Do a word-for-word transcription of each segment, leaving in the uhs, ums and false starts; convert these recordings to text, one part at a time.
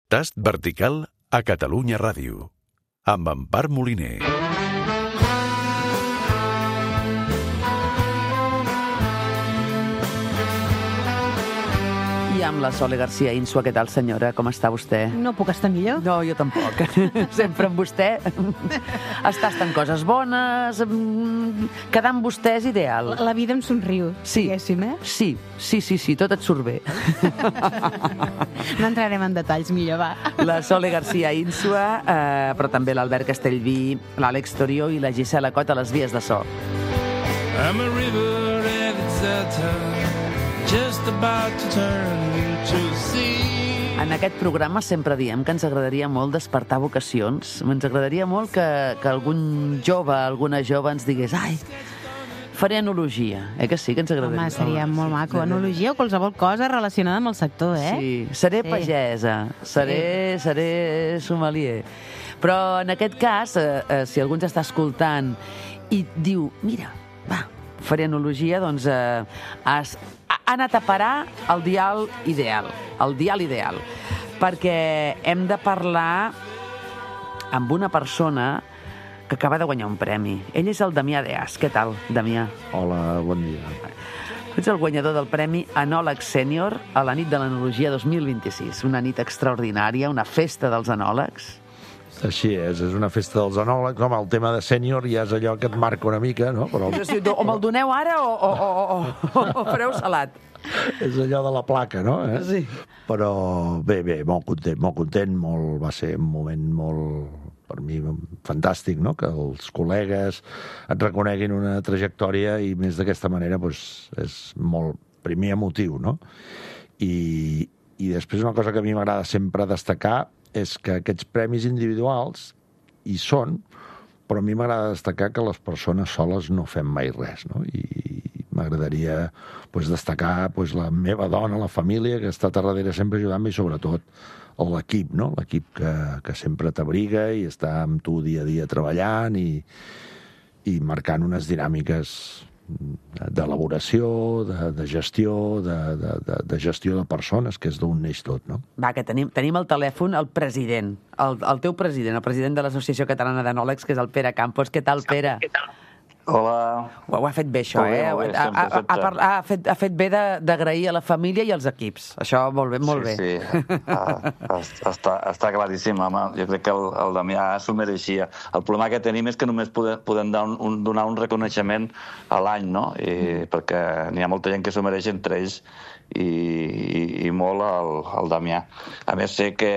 Tast vertical a Catalunya Ràdio, amb Empar Moliner. I amb la Sole García Insua. Què tal, senyora? Com està vostè? No puc estar millor. No, jo tampoc. Sempre amb vostè està estant coses bones, quedar amb vostè és ideal. La, la vida em somriu, sí. diguéssim, eh? Sí, sí, sí, sí, tot et surt bé. No entrarem en detalls, millor, va. La Sole García Insua, eh, però també l'Albert Castellví, l'Àlex Torió i la Gisela Cot a les vies de so. I'm a river and it's a turn, just about to turn to sea. En aquest programa sempre diem que ens agradaria molt despertar vocacions. Ens agradaria molt que, que algun jove, alguna jove ens digués ai, faré enologia. Eh que sí, que ens agradaria? Home, seria oh, molt maco. Enologia o qualsevol cosa relacionada amb el sector, eh? Sí, seré sí. pagesa, seré, sí. seré sommelier. Però en aquest cas, eh, eh, si algú ens està escoltant i diu, mira, va, faré enologia, doncs eh, has, ha anat a parar el dial ideal, el dial ideal, perquè hem de parlar amb una persona que acaba de guanyar un premi. Ell és el Damià Deas. Què tal, Damià? Hola, bon dia. Ets el guanyador del Premi Enòleg Sènior a la nit de l'Enologia dos mil vint-i-sis. Una nit extraordinària, una festa dels enòlegs. Així és, és una festa dels enòlegs. Home, el tema de sènior ja és allò que et marca una mica, no? Però... O me'l doneu ara o, o, o, o, o fareu salat. És allò de la placa, no? Eh? Sí. Però bé, bé, molt content, molt content, molt, va ser un moment molt, per mi, fantàstic, no? Que els col·legues et reconeguin una trajectòria i més d'aquesta manera, doncs, és molt, primer, emotiu, no? I, i després una cosa que a mi m'agrada sempre destacar és que aquests premis individuals hi són, però a mi m'agrada destacar que les persones soles no fem mai res, no? I m'agradaria pues, destacar pues, la meva dona, la família, que ha estat a darrere sempre ajudant-me, i sobretot l'equip, no? L'equip que, que sempre t'abriga i està amb tu dia a dia treballant i, i marcant unes dinàmiques d'elaboració, de, de gestió, de, de, de, de gestió de persones, que és d'on neix tot, no? Va, que tenim, tenim al telèfon el president, el, el teu president, el president de l'Associació Catalana d'Enòlegs, que és el Pere Campos. Què tal, Pere? Què tal? Hola. Ho, ho ha fet bé, això, bé, eh? Bé, ha, ha, ha, ha, ha, fet, ha fet bé d'agrair a la família i als equips. Això molt bé, molt sí, bé. Sí, ah, està, està claríssim, home. Jo crec que el, el Damià s'ho mereixia. El problema que tenim és que només podem, podem donar, un, donar un reconeixement a l'any, no? I, mm. Perquè n'hi ha molta gent que s'ho mereix, entre ells i, i, i molt el, el Damià. A més, sé que,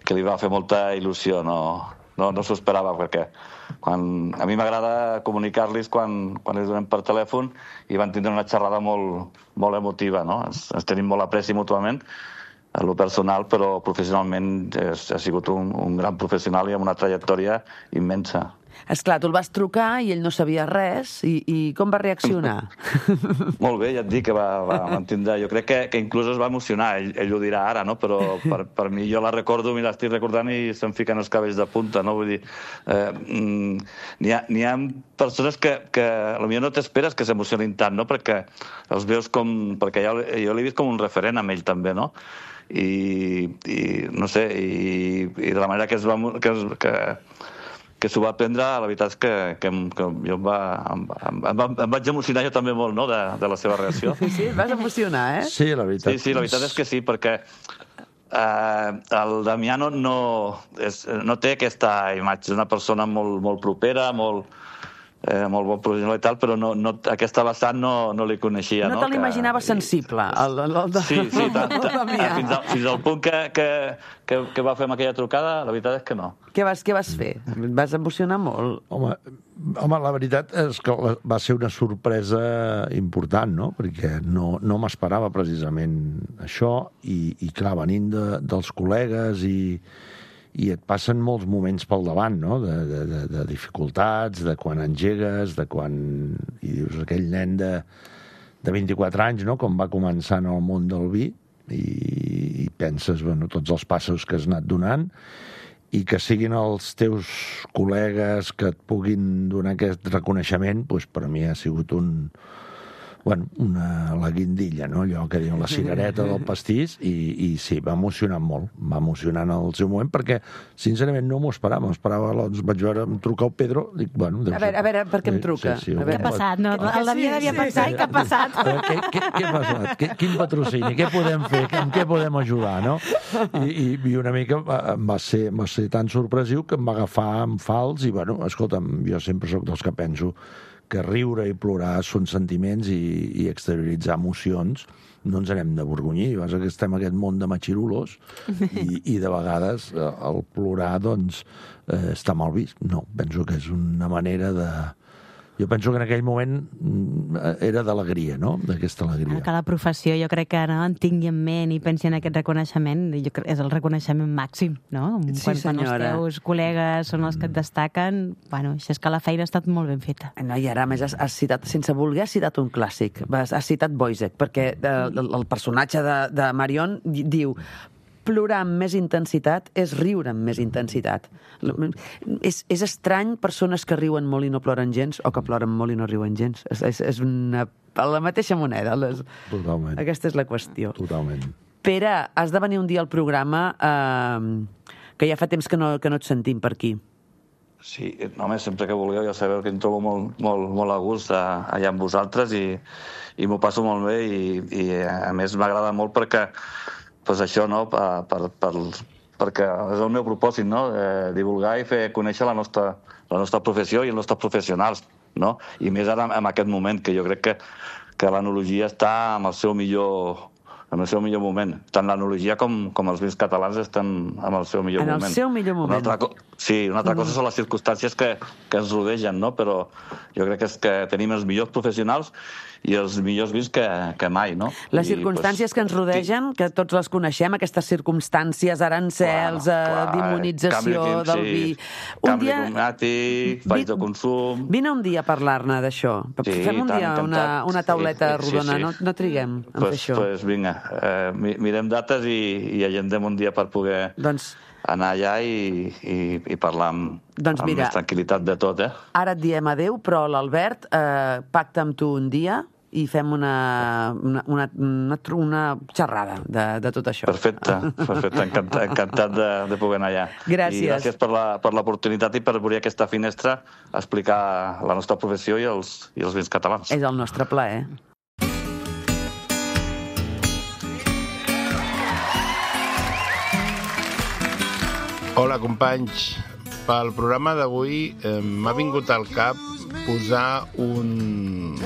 que li va fer molta il·lusió, no, no, no s'ho esperava, perquè quan, a mi m'agrada comunicar-los quan, quan els donem per telèfon, i van tindre una xerrada molt, molt emotiva, no? Ens, ens tenim molt apreci mútuament, a lo personal, però professionalment és, ha sigut un, un gran professional i amb una trajectòria immensa. Esclar, tu el vas trucar i ell no sabia res, i, i com va reaccionar? Molt bé, ja et dic que va, va mantindre. Jo crec que, que inclús es va emocionar, ell, ell ho dirà ara, no? Però per, per mi jo la recordo, i l'estic recordant i se'm fiquen els cabells de punta, no? Vull dir, eh, n'hi ha, n'hi ha persones que, que potser no t'esperes que s'emocionin tant, no? Perquè els veus com... Perquè jo, jo l'he vist com un referent amb ell també, no? I, i no sé, i, i de la manera que es va... Que, que, que s'ho va prendre, la veritat és que, que, que jo em, va, em, em, em, em vaig emocionar jo també molt, no?, de, de la seva reacció. Sí, et vas emocionar, eh? Sí, la veritat. Sí, sí, la veritat és que sí, perquè eh, el Damià no, no, és, no té aquesta imatge, és una persona molt, molt propera, molt, eh, molt bon professional i tal, però no, no, aquesta vessant no, no li coneixia. No, no? te l'imaginava sensible, el, el, el, el, sí, sí, tant, el Damià. Fins, al, fins al punt que, que, que, que va fer amb aquella trucada, la veritat és que no. Què vas, què vas fer? Et vas emocionar molt? Home, home, la veritat és que va ser una sorpresa important, no? Perquè no, no m'esperava precisament això, i, i clar, venint de, dels col·legues, i, i et passen molts moments pel davant, no? De, de, de, de dificultats, de quan engegues, de quan... I dius, aquell nen de, de vint-i-quatre anys, no?, com va començar en el món del vi, i, i penses, bueno, tots els passos que has anat donant, i que siguin els teus col·legues que et puguin donar aquest reconeixement, doncs per mi ha sigut un, bueno, una, la guindilla, no? Allò que diuen la cirereta del pastís, i, i sí, va emocionar molt, va emocionar en el seu moment, perquè, sincerament, no m'ho esperava, m'esperava, doncs vaig veure, em trucar el Pedro, dic, bueno... A veure, a veure, per què em truca? Sí, sí, què ha passat? No, el Damià devia pensar, i què ha passat? Què, què, què ha passat? Què, quin patrocini? Què podem fer? En què podem ajudar, no? I, i, i una mica em va ser, va ser tan sorpresiu que em va agafar en fals i, bueno, escolta'm, jo sempre sóc dels que penso que riure i plorar són sentiments i, i exterioritzar emocions no ens anem de borgonyir. Vas que estem en aquest món de machirulos i, i de vegades el plorar doncs eh, està mal vist. No, penso que és una manera de... Jo penso que en aquell moment era d'alegria, no?, d'aquesta alegria. Que la professió jo crec que no, en tingui en ment i pensi en aquest reconeixement, jo crec, és el reconeixement màxim, no? Sí, quan, quan els senyora. teus col·legues són els que et destaquen, bueno, això és que la feina ha estat molt ben feta. No, i ara, a més, has, has citat, sense voler, has citat un clàssic. Has, has citat Boisek, perquè el, el personatge de, de Marion diu plorar amb més intensitat és riure amb més intensitat. És, és estrany persones que riuen molt i no ploren gens o que ploren molt i no riuen gens. És, és, és una, la mateixa moneda. Les... Totalment. Aquesta és la qüestió. Totalment. Pere, has de venir un dia al programa eh, que ja fa temps que no, que no et sentim per aquí. Sí, home, sempre que vulgueu, ja sabeu que em trobo molt, molt, molt a gust allà amb vosaltres i, i m'ho passo molt bé i, i a més m'agrada molt perquè pues això, no?, per, per, per, perquè és el meu propòsit, no?, eh, divulgar i fer conèixer la nostra, la nostra professió i els nostres professionals, no?, i més ara en aquest moment, que jo crec que, que l'enologia està en el seu millor, en el seu millor moment. Tant l'enologia com, com els vins catalans estan en el seu millor en moment. En el seu millor moment. Una altra, sí, una altra cosa són les circumstàncies que, que ens rodegen, no?, però jo crec que és que tenim els millors professionals i els millors vins que, que mai, no? Les I, circumstàncies pues, que ens rodegen, que tots les coneixem, aquestes circumstàncies, arancels, clar, clar, eh, demonització canvi, del sí, vi... Un canvi dia... climàtic, valls de consum... Vine un dia a parlar-ne d'això. Sí, Fem un tant, dia encantat. una, una tauleta sí, rodona, sí, sí. No, no triguem en pues, fer això. Pues vinga, eh, mirem dates i, i agendem un dia per poder doncs, anar allà i, i, i parlar amb, doncs amb mira, més tranquil·litat de tot, eh? Ara et diem adeu, però l'Albert eh, pacta amb tu un dia i fem una, una, una, una, una xerrada de, de tot això. Perfecte, perfecte. Encantat, encantat de, de poder anar allà. Gràcies. I gràcies per la, per l'oportunitat i per obrir aquesta finestra a explicar la nostra professió i els, i els vins catalans. És el nostre plaer. Hola, companys. Pel programa d'avui eh, m'ha vingut al cap posar un...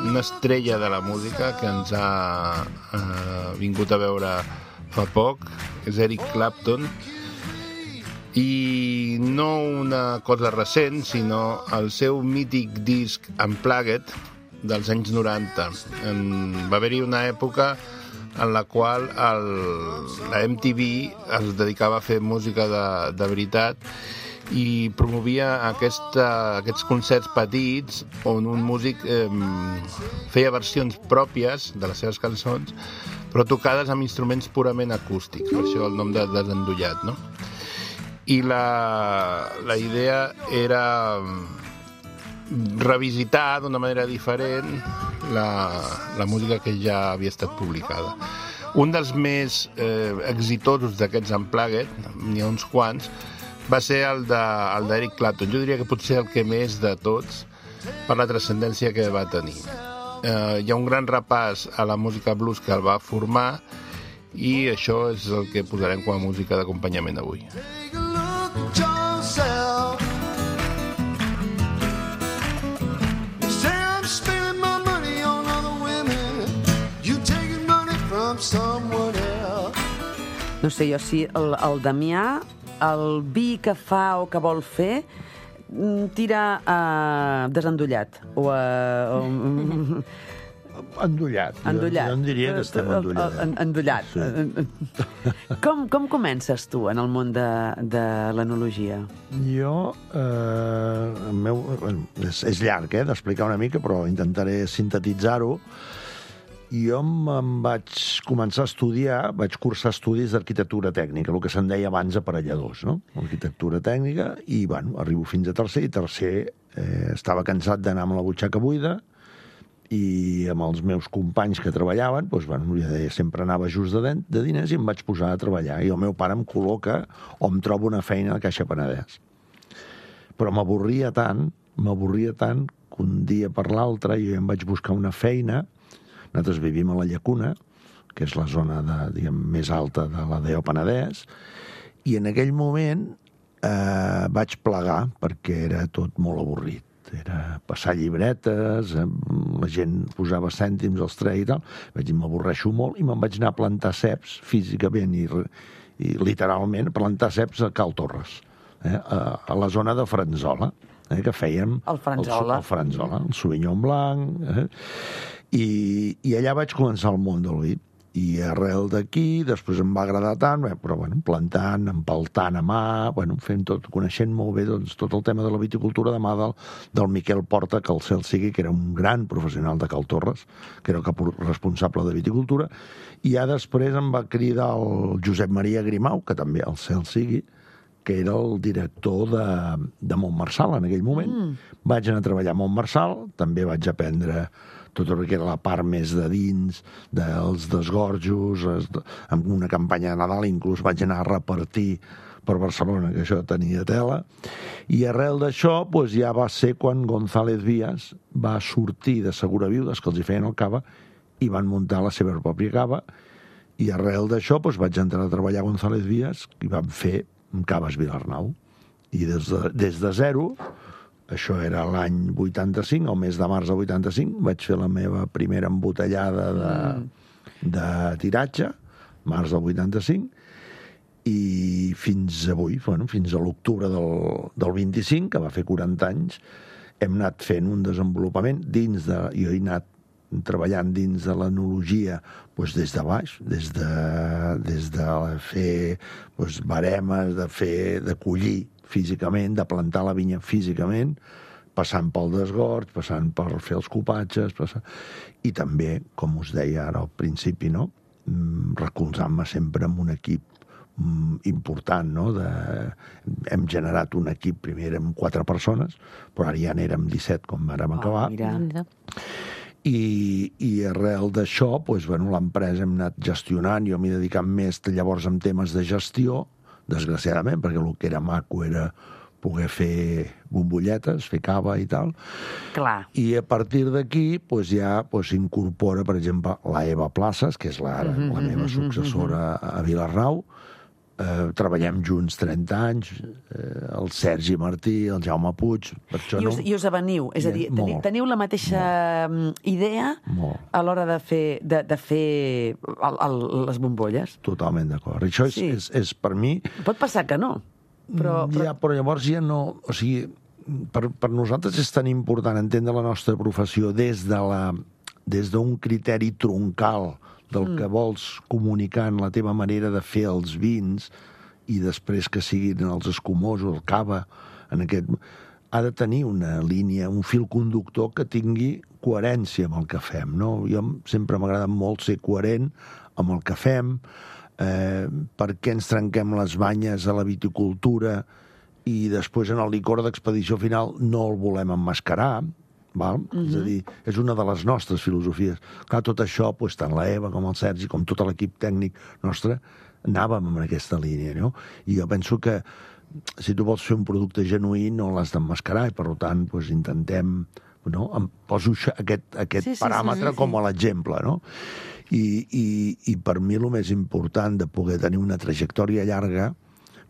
una estrella de la música que ens ha eh, vingut a veure fa poc, és Eric Clapton, i no una cosa recent, sinó el seu mític disc Unplugged dels anys noranta. En, va haver-hi una època en la qual el, la M T V es dedicava a fer música de, de veritat i promovia aquesta, aquests concerts petits on un músic eh, feia versions pròpies de les seves cançons, però tocades amb instruments purament acústics, per això el nom de Desendollat, no? I la, la idea era revisitar d'una manera diferent la, la música que ja havia estat publicada. Un dels més eh, exitosos d'aquests Unplugged, n'hi ha uns quants, va ser el d'Eric Clapton. Jo diria que potser el que més de tots per la transcendència que va tenir. Eh, hi ha un gran repàs a la música blues que el va formar i això és el que posarem com a música d'acompanyament avui. No sé jo si el, el Damià, el vi que fa o que vol fer, tira uh, desendollat o... Uh, Endollat. Endollat. Jo, jo en diria que estem endollats. Endollat. Sí. Com, com comences tu en el món de, de l'enologia? Jo, eh, el meu, bueno, és, és llarg, eh, d'explicar una mica, però intentaré sintetitzar-ho. Jo em vaig començar a estudiar, vaig cursar estudis d'arquitectura tècnica, el que se'n deia abans aparelladors, no? Arquitectura tècnica, i, bueno, arribo fins a tercer, i tercer eh, estava cansat d'anar amb la butxaca buida, i amb els meus companys que treballaven, doncs, bueno, ja deia, sempre anava just de, de diners i em vaig posar a treballar. I el meu pare em col·loca o em troba una feina a Caixa Penedès. Però m'avorria tant, m'avorria tant, que un dia per l'altre jo em vaig buscar una feina. Nosaltres vivim a la Llacuna, que és la zona de, diguem, més alta de la D E O Penedès, i en aquell moment eh, vaig plegar perquè era tot molt avorrit. Era passar llibretes, la gent posava cèntims als trets i tal. Vaig dir, m'avorreixo molt, i me'n vaig anar a plantar ceps físicament i, i literalment plantar ceps a Cal Torres, eh, a, a la zona de Franzola, eh, que fèiem el Franzola, el, el, Franzola, el Sauvignon Blanc, eh, i, i allà vaig començar el món del vi. I arrel d'aquí, després em va agradar tant, bé, però bueno, plantant, empaltant a mà, bueno, fent tot, coneixent molt bé doncs, tot el tema de la viticultura de mà del, del Miquel Porta, que el cel sigui, que era un gran professional de Cal Torres, que era el cap responsable de viticultura, i ja després em va cridar el Josep Maria Grimau, que també el cel sigui, que era el director de, de Montmarçal en aquell moment. Mm. Vaig anar a treballar a Montmarçal, també vaig aprendre tot el que era la part més de dins, dels desgorjos, es, amb una campanya de Nadal, inclús vaig anar a repartir per Barcelona, que això tenia tela. I arrel d'això, doncs ja va ser quan González Vías va sortir de Seguraviudes, que els hi feien el cava, i van muntar la seva pròpia cava, i arrel d'això doncs vaig entrar a treballar a González Vías, i vam fer Caves Vilarnau. I des de, des de zero, això era l'any vuitanta-cinc, el mes de març del vuitanta-cinc, vaig fer la meva primera embotellada de, mm. de tiratge, març del vuitanta-cinc, i fins avui, bueno, fins a l'octubre del, del vint-i-cinc, que va fer quaranta anys, hem anat fent un desenvolupament dins de... Jo he anat treballant dins de l'enologia doncs des de baix, des de, des de fer doncs, baremes, de fer, de collir físicament, de plantar la vinya físicament, passant pel desgorg, passant per fer els copatges, passant... i també, com us deia ara al principi, no? recolzant-me sempre amb un equip important, no? De... hem generat un equip, primer érem quatre persones, però ara ja n'érem disset quan vàrem acabar. Oh, mira. I, i arrel d'això, doncs, bueno, l'empresa hem anat gestionant, jo m'he dedicat més llavors en temes de gestió, desgraciadament, perquè el que era maco era poder fer bombolletes, fer cava i tal. Clar. I a partir d'aquí doncs, ja s'incorpora, per exemple, la Eva Places, que és la, mm-hmm, la meva successora a Vilarnau. Eh, treballem junts trenta anys, eh, el Sergi Martí, el Jaume Puig, per això I us, no... I us aveniu, és a dir, teniu, teniu la mateixa molt. idea molt. a l'hora de fer, de, de fer el, el, les bombolles? Totalment d'acord. Això és, sí. és, és per mi... Pot passar que no, però... però... Ja, però llavors ja no... O sigui, per, per nosaltres és tan important entendre la nostra professió des de la, des d'un criteri troncal del mm. que vols comunicar en la teva manera de fer els vins i després que siguin els escumosos, el cava, en aquest... ha de tenir una línia, un fil conductor que tingui coherència amb el que fem, no? Jo sempre m'agrada molt ser coherent amb el que fem, eh, per què ens trenquem les banyes a la viticultura i després en el licor d'expedició final no el volem emmascarar, val? Mm-hmm. És a dir, és una de les nostres filosofies. Clar, tot això, doncs, tant la Eva com el Sergi, com tot l'equip tècnic nostre, anàvem en aquesta línia, no? I jo penso que si tu vols fer un producte genuí no l'has d'emmascarar i, per tant, doncs, intentem... No? Em poso aquest, aquest sí, sí, paràmetre sí, sí, sí. com a l'exemple, no? I, i, I per mi el més important de poder tenir una trajectòria llarga,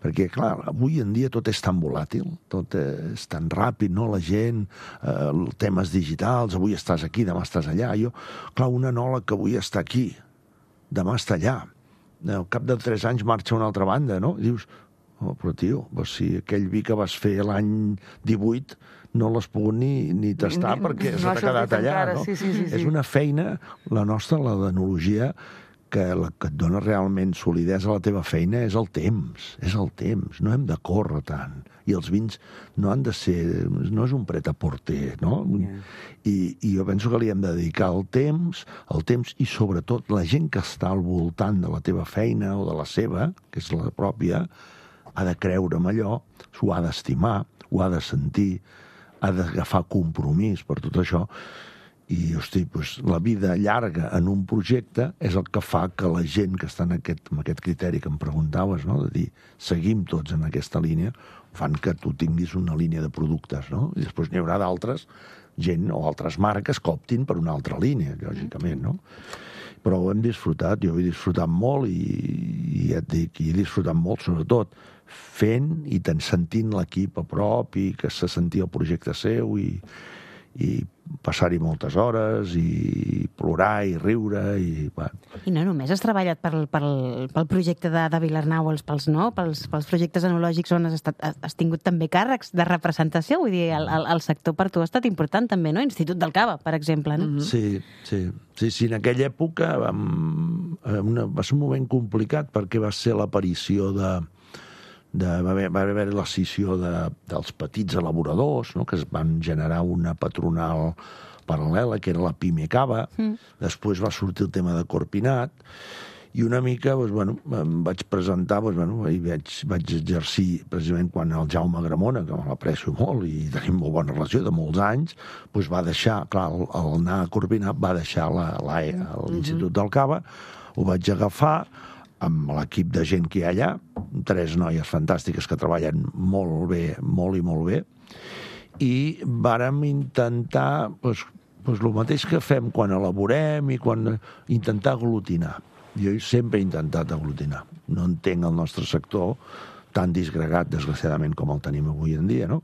perquè, clar, avui en dia tot és tan volàtil, tot és tan ràpid, no? La gent, eh, temes digitals, avui estàs aquí, demà estàs allà. Jo, clar, un enòleg que avui està aquí, demà està allà. Al cap de tres anys marxa a una altra banda, no? I dius, oh, però tio, doncs si aquell vi que vas fer l'any divuit no l'has pogut ni, ni tastar ni, perquè no se t'ha quedat allà, encara, no? Sí, sí, sí, sí. És una feina, la nostra, la d'enologia, que la que et dona realment solidesa a la teva feina és el temps, és el temps, no hem de córrer tant, i els vins no han de ser, no és un pret-a-porter, no? Yeah. I, I jo penso que li hem de dedicar el temps, el temps i sobretot la gent que està al voltant de la teva feina o de la seva, que és la pròpia, ha de creure en allò, s'ho ha d'estimar, ho ha de sentir, ha d'agafar compromís per tot això. I, hosti, doncs, la vida llarga en un projecte és el que fa que la gent que està en aquest, en aquest criteri que em preguntaves, no? De dir, seguim tots en aquesta línia, fan que tu tinguis una línia de productes, no? I després n'hi haurà d'altres gent o altres marques que optin per una altra línia, lògicament, no? Però ho hem disfrutat, jo he disfrutat molt i, i ja et dic, i he disfrutat molt, sobretot, fent i sentint l'equip a prop i que se sentia el projecte seu i, i passar-hi moltes hores i plorar i riure i... Bueno. I no només has treballat pel, pel, pel projecte de, de Vilarnau, els, pels, no? pels, pels projectes enològics on has, estat, has tingut també càrrecs de representació, vull dir, el, el, el sector per tu ha estat important també, no? Institut del Cava, per exemple, no? Mm-hmm. Sí, sí, sí, sí, en aquella època vam, una, va ser un moment complicat perquè va ser l'aparició de... De, va haver, va haver la scissió de, dels petits elaboradors, no? Que es van generar una patronal paral·lela, que era la Pime Cava. Mm. Després va sortir el tema de Corpinat, i una mica, doncs, bueno, em vaig presentar, doncs, bueno, i vaig, vaig exercir, precisament quan el Jaume Gramona, que me l'aprecio molt i tenim molt bona relació de molts anys, doncs va deixar, clar, el, el anar a Corpinat va deixar l'A E, l'Institut mm-hmm. del Cava, ho vaig agafar, amb l'equip de gent que hi ha allà, tres noies fantàstiques que treballen molt bé, molt i molt bé, i vàrem intentar, doncs, doncs el mateix que fem quan elaborem i quan intentar aglutinar. Jo sempre he intentat aglutinar. No entenc el nostre sector tan disgregat, desgraciadament, com el tenim avui en dia, no?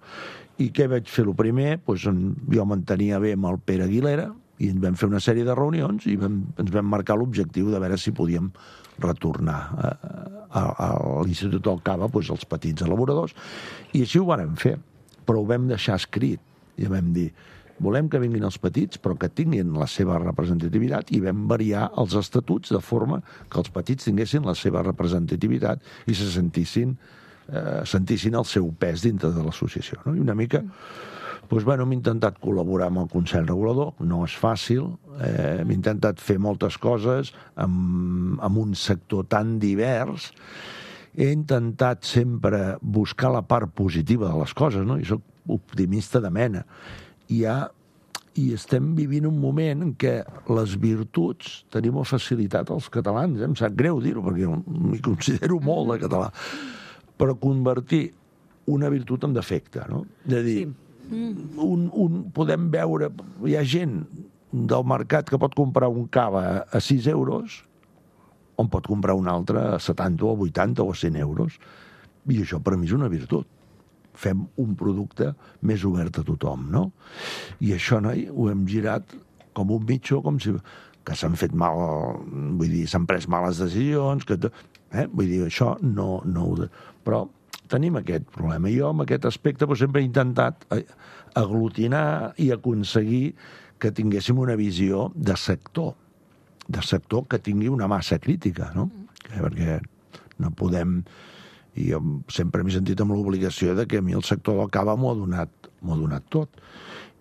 I què vaig fer? El primer, doncs, jo m'entenia bé amb el Pere Aguilera, i ens vam fer una sèrie de reunions i vam, ens vam marcar l'objectiu de veure si podíem retornar a, a, a l'Institut del Cava, doncs, els petits elaboradors, i així ho vàrem fer, però ho vam deixar escrit, i vam dir, volem que vinguin els petits, però que tinguin la seva representativitat, i vam variar els estatuts de forma que els petits tinguessin la seva representativitat i se sentissin, eh, sentissin el seu pes dintre de l'associació, no? I una mica... Doncs, bueno, hem intentat col·laborar amb el Consell Regulador, no és fàcil, eh, hem intentat fer moltes coses amb, amb un sector tan divers, he intentat sempre buscar la part positiva de les coses, no? I soc optimista de mena. I, ha, i estem vivint un moment en què les virtuts tenim una facilitat als catalans, eh? Em sap greu dir-ho, perquè m'hi considero molt de català, però convertir una virtut en defecte, no? De dir... Sí. Un, un, podem veure, hi ha gent del mercat que pot comprar un cava a sis euros on pot comprar un altre a setanta o a vuitanta o a cent euros, i això per mi és una virtut. Fem un producte més obert a tothom, no? I això, noi, ho hem girat com un mitjó, com si... que s'han fet mal, vull dir, s'han pres males decisions, que... eh? Vull dir, això no... no però tenim aquest problema. Jo, amb aquest aspecte, doncs, sempre he intentat aglutinar i aconseguir que tinguéssim una visió de sector, de sector que tingui una massa crítica, no? Perquè no podem... I jo sempre m'he sentit amb l'obligació de que a mi el sector del cava m'ho ha donat, m'ho ha donat tot.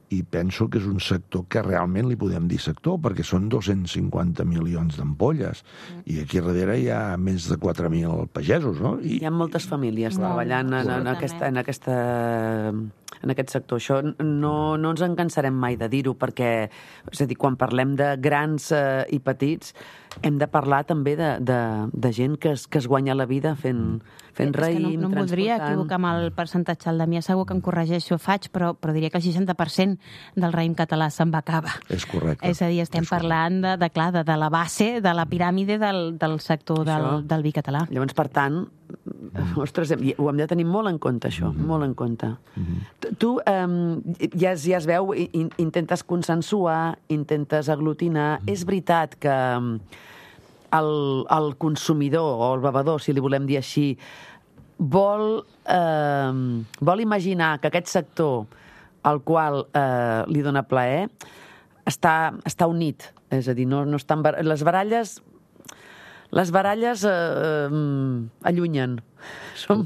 I penso que és un sector que realment li podem dir sector, perquè són dos-cents cinquanta milions d'ampolles, i aquí darrere hi ha més de quatre mil pagesos, no? I... Hi ha moltes famílies no, treballant en, en, aquesta, en, aquesta, en aquest sector. Això no, no ens en cansarem mai de dir-ho, perquè, és a dir, quan parlem de grans eh, i petits, hem de parlar també de, de, de gent que es, que es guanya la vida fent, fent raïm, transportant... No, no em voldria equivocar amb el percentatge. El Damià segur que em corregeixo, faig, però, però diria que el seixanta per cent del raïm català se'n va a cava. És correcte. És a dir, estem és parlant de, de, clar, de, de la base, de la piràmide del, del sector del, del vi català. Llavors, per tant, mm. ostres, ho hem de tenir molt en compte, això, mm-hmm. molt en compte. Mm-hmm. Tu eh, ja, ja es veu, in, intentes consensuar, intentes aglutinar. Mm. És veritat que el, el consumidor o el bevedor, si li volem dir així, vol, eh, vol imaginar que aquest sector al qual eh, li dona plaer està, està unit. És a dir, no, no estan... Les baralles... Les baralles eh, eh, allunyen. Som,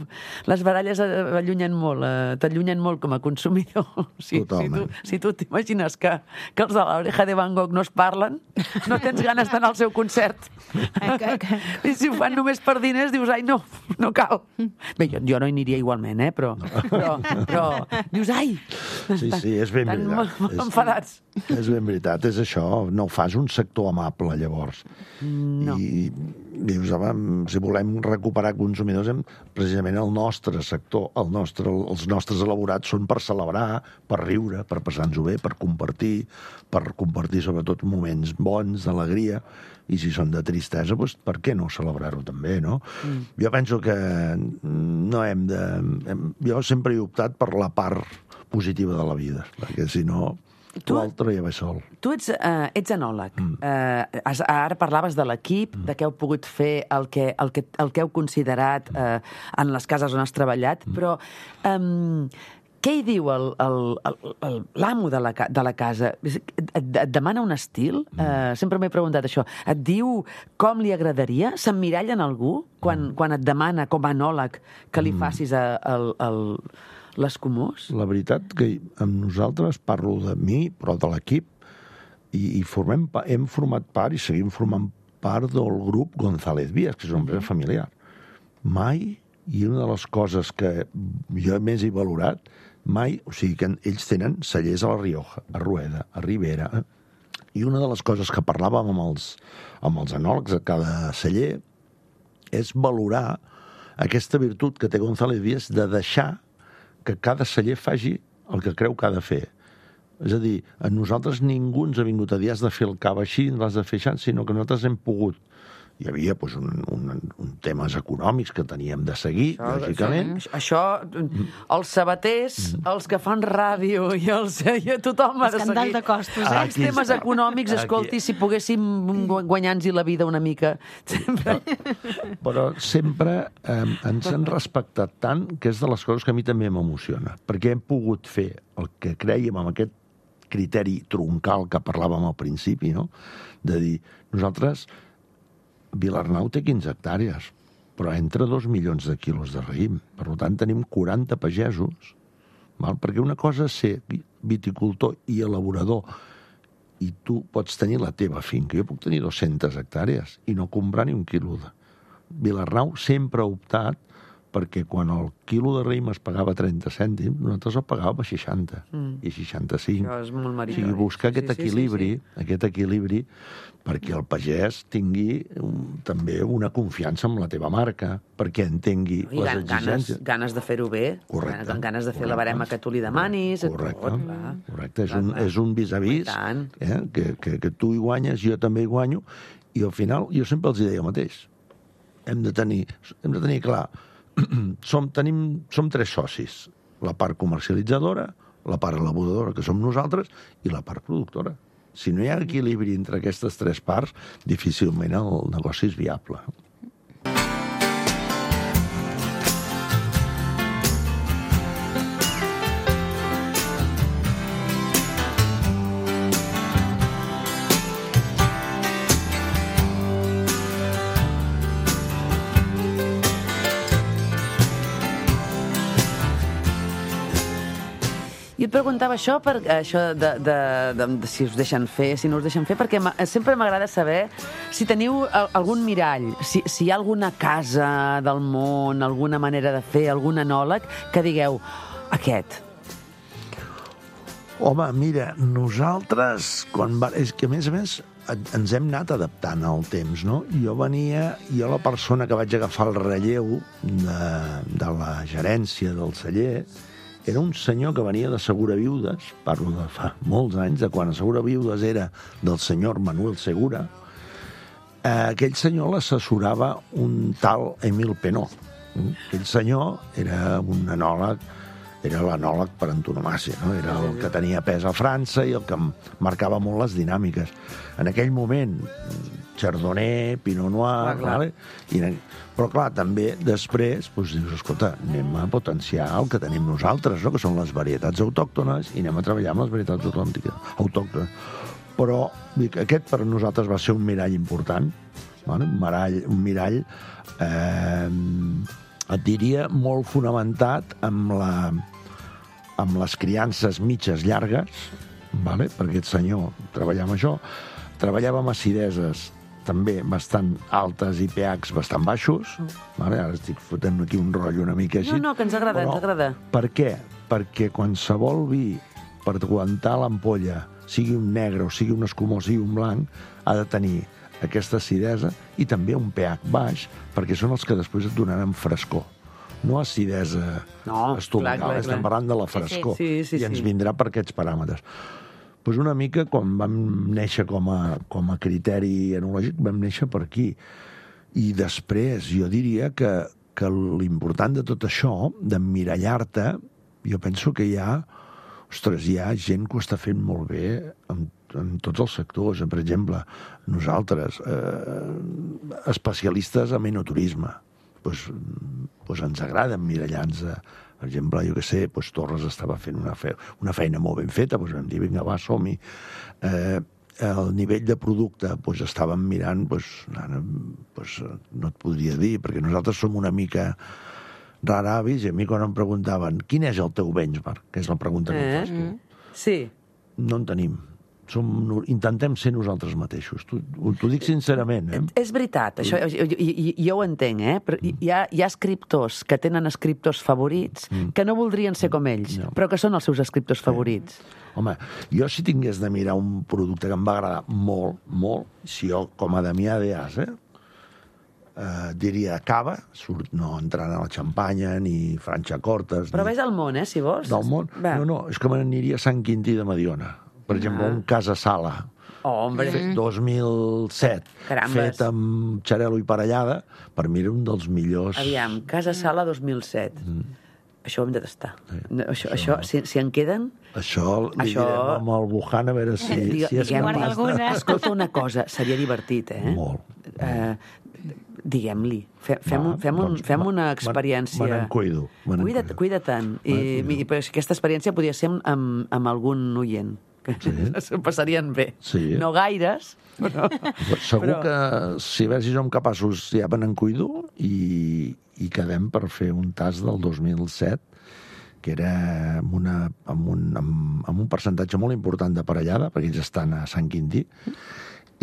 les baralles allunyen molt, eh, t'allunyen molt com a consumidor. Si, si tu, si tu t'imagines que, que els de l'Oreja de Van Gogh no es parlen, no tens ganes d'anar al seu concert. I si ho fan només per diners, dius, ai, no, no cal. Bé, jo, jo no hi aniria igualment, eh, però, però, però dius, ai, sí, sí, és ben tan veritat. enfadats. És ben veritat, és això. No fas un sector amable, llavors. No. I dius, home, si volem recuperar consumidors, hem, precisament el nostre sector, el nostre, els nostres elaborats són per celebrar, per riure, per passar-nos-ho bé, per compartir, per compartir sobretot moments bons, d'alegria, i si són de tristesa, doncs per què no celebrar-ho també, no? Mm. Jo penso que no hem de... Hem, jo sempre he optat per la part positiva de la vida, perquè si no... Tu, l'altre ja va sol. Tu ets, uh, ets enòleg. Mm. Uh, has, ara parlaves de l'equip, mm. de què heu pogut fer el que, el que, el que heu considerat uh, en les cases on has treballat, mm. però um, què hi diu l'amo de, la, de la casa? Et, et demana un estil? Mm. Uh, sempre m'he preguntat això. Et diu com li agradaria? S'emmiralla en algú quan, mm. quan et demana, com a enòleg, que li facis a, a, a, l'Escumós? La veritat que amb nosaltres, parlo de mi, però de l'equip, i, i formem, hem format part i seguim formant part del grup González Vías, que és una empresa familiar. Mai, i una de les coses que jo més he valorat, mai, o sigui que ells tenen cellers a la Rioja, a Rueda, a Ribera, eh? I una de les coses que parlàvem amb els, amb els enòlegs a cada celler és valorar aquesta virtut que té González Vías de deixar que cada celler faci el que creu que ha de fer. És a dir, a nosaltres ningú ens ha vingut a dir has de fer el cava així, l'has de fer així, sinó que nosaltres hem pogut. Hi havia doncs, un, un, un temes econòmics que teníem de seguir, això, lògicament. Això, els sabaters, els que fan ràdio i els, i tothom ha de seguir. Escandall de costos, eh? Els temes econòmics, escolti, si poguéssim guanyar-nos la vida una mica. Sempre. Però sempre eh, ens han respectat tant que és de les coses que a mi també m'emociona, perquè hem pogut fer el que crèiem amb aquest criteri troncal que parlàvem al principi, no? De dir, nosaltres... Vilarnau té quinze hectàrees, però entra dos milions de quilos de raïm. Per tant, tenim quaranta pagesos, val? Perquè una cosa és ser viticultor i elaborador, i tu pots tenir la teva finca. Jo puc tenir dues-centes hectàrees i no comprar ni un quilo de... Vilarnau sempre ha optat perquè quan el quilo de raïm es pagava trenta cèntims, nosaltres el pagàvem a seixanta mm. i seixanta-cinc. Això és molt meritori. O sigui, buscar aquest sí, sí, equilibri, sí, sí. aquest equilibri perquè el pagès tingui un, també una confiança en la teva marca, perquè entengui I les ganes, exigències. Ganes de fer-ho bé, correcte, ganes de fer correcte. La barema que tu li demanis. Correcte, tot, clar. correcte. És clar, un, clar. és un vis-a-vis eh? que, que, que tu hi guanyes, jo també hi guanyo, i al final jo sempre els deia el mateix. Hem de tenir, hem de tenir clar, som, tenim, som tres socis, la part comercialitzadora, la part elaboradora, que som nosaltres, i la part productora. Si no hi ha equilibri entre aquestes tres parts, difícilment el negoci és viable. I et preguntava això, per, això de, de, de, de si us deixen fer, si no us deixen fer, perquè sempre m'agrada saber si teniu algun mirall, si, si hi ha alguna casa del món, alguna manera de fer, algun enòleg, que digueu, aquest. Home, mira, nosaltres, quan va... és que a més a més ens hem anat adaptant al temps, no? Jo venia, jo la persona que vaig agafar el relleu de, de la gerència del celler, era un senyor que venia de Segura Viudes, parlo de fa molts anys, de quan a Segura Viudes era del senyor Manuel Segura. Eh, aquell senyor l'assessorava un tal Emil Penó. Aquell senyor era un enòleg, era l'enòleg per antonomàsia, no? Era el que tenia pes a França i el que marcava molt les dinàmiques. En aquell moment, Chardonnay, Pinot Noir, ah, vale? I, però clar, també després doncs, dius, escolta, anem a potenciar el que tenim nosaltres, no? Que són les varietats autòctones, i anem a treballar amb les varietats autòctones. Però dic, aquest per nosaltres va ser un mirall important, vale? un mirall, un mirall eh, et diria molt fonamentat amb, la, amb les criances mitges llargues, vale? Perquè aquest senyor treballava amb això, treballava amb acideses també bastant altes i pHs bastant baixos. Vale? Ara estic fotent aquí un rotllo una mica així. No, no, que ens agrada, però, ens agrada. Per què? Perquè qualsevol vi, per aguantar l'ampolla sigui un negre o sigui un escumós, sigui un blanc, ha de tenir aquesta acidesa i també un pH baix, perquè són els que després et donaran frescor. No acidesa no, estomacal, clar, clar, estem clar. parlant de la frescor. Sí, sí, sí, I ens sí. vindrà per aquests paràmetres. Pues una mica, quan vam néixer com a, com a criteri enològic, vam néixer per aquí. I després, jo diria que, que l'important de tot això, d'emmirallar-te, jo penso que hi ha, ostres, hi ha gent que ho està fent molt bé en, en tots els sectors. Per exemple, nosaltres, eh, especialistes en enoturisme, pues, pues ens agrada emmirallar-nos. Per exemple, jo què sé, pues, Torres estava fent una, fe una feina molt ben feta, pues, vam dir, vinga, va, som-hi. Eh, el nivell de producte, pues, estàvem mirant, pues, ara, pues, no et podria dir, perquè nosaltres som una mica raravis, i a mi quan em preguntaven quin és el teu benchmark, que és la pregunta que em fas tu, Sí. no en tenim. Som, intentem ser nosaltres mateixos. T'ho dic sincerament, eh? És veritat, això, jo, jo, jo ho entenc, eh? Però hi ha, hi ha escriptors que tenen escriptors favorits que no voldrien ser com ells, No. però que són els seus escriptors favorits. Home, jo si tingués de mirar un producte que em va agradar molt, molt, si jo, com a Damià d'Eas, eh, eh, diria cava, surt, no entrant a la xampanya, ni Franxa Cortes... Però ni... ves al món, eh, si vols. Del món? Va. No, no, és que me n'aniria a Sant Quintí de Mediona. Per exemple, un Casa Sala, Oh, hombre. fet dos mil set, Carambes. fet amb xarel·lo i parellada, per mi era un dels millors... Aviam, Casa Sala dos mil set. Això ho hem de tastar. No, això, això, si, si en queden... Això li Això- direm amb el Wuhan a veure si, Digue- si és diguem- Guarda capaç. alguna. Escolta una cosa, seria divertit, eh? Molt. Eh, diguem-li, fe, fem, Va, un, fem, un, doncs, fem me- una me- experiència... me n'en cuido, me n'en Cuida't, cuido. cuida tant. I, Me n'en cuido. i, però aquesta experiència podria ser amb, amb, amb algun oient. Que Sí. s'ho passarien bé. Sí. No gaires, però... Segur Però- que si a veure si som capaços ja me n'en cuido i, i quedem per fer un tast del dos mil set que era amb, una, amb, un, amb, amb un percentatge molt important de parellada, perquè ells estan a Sant Quintí,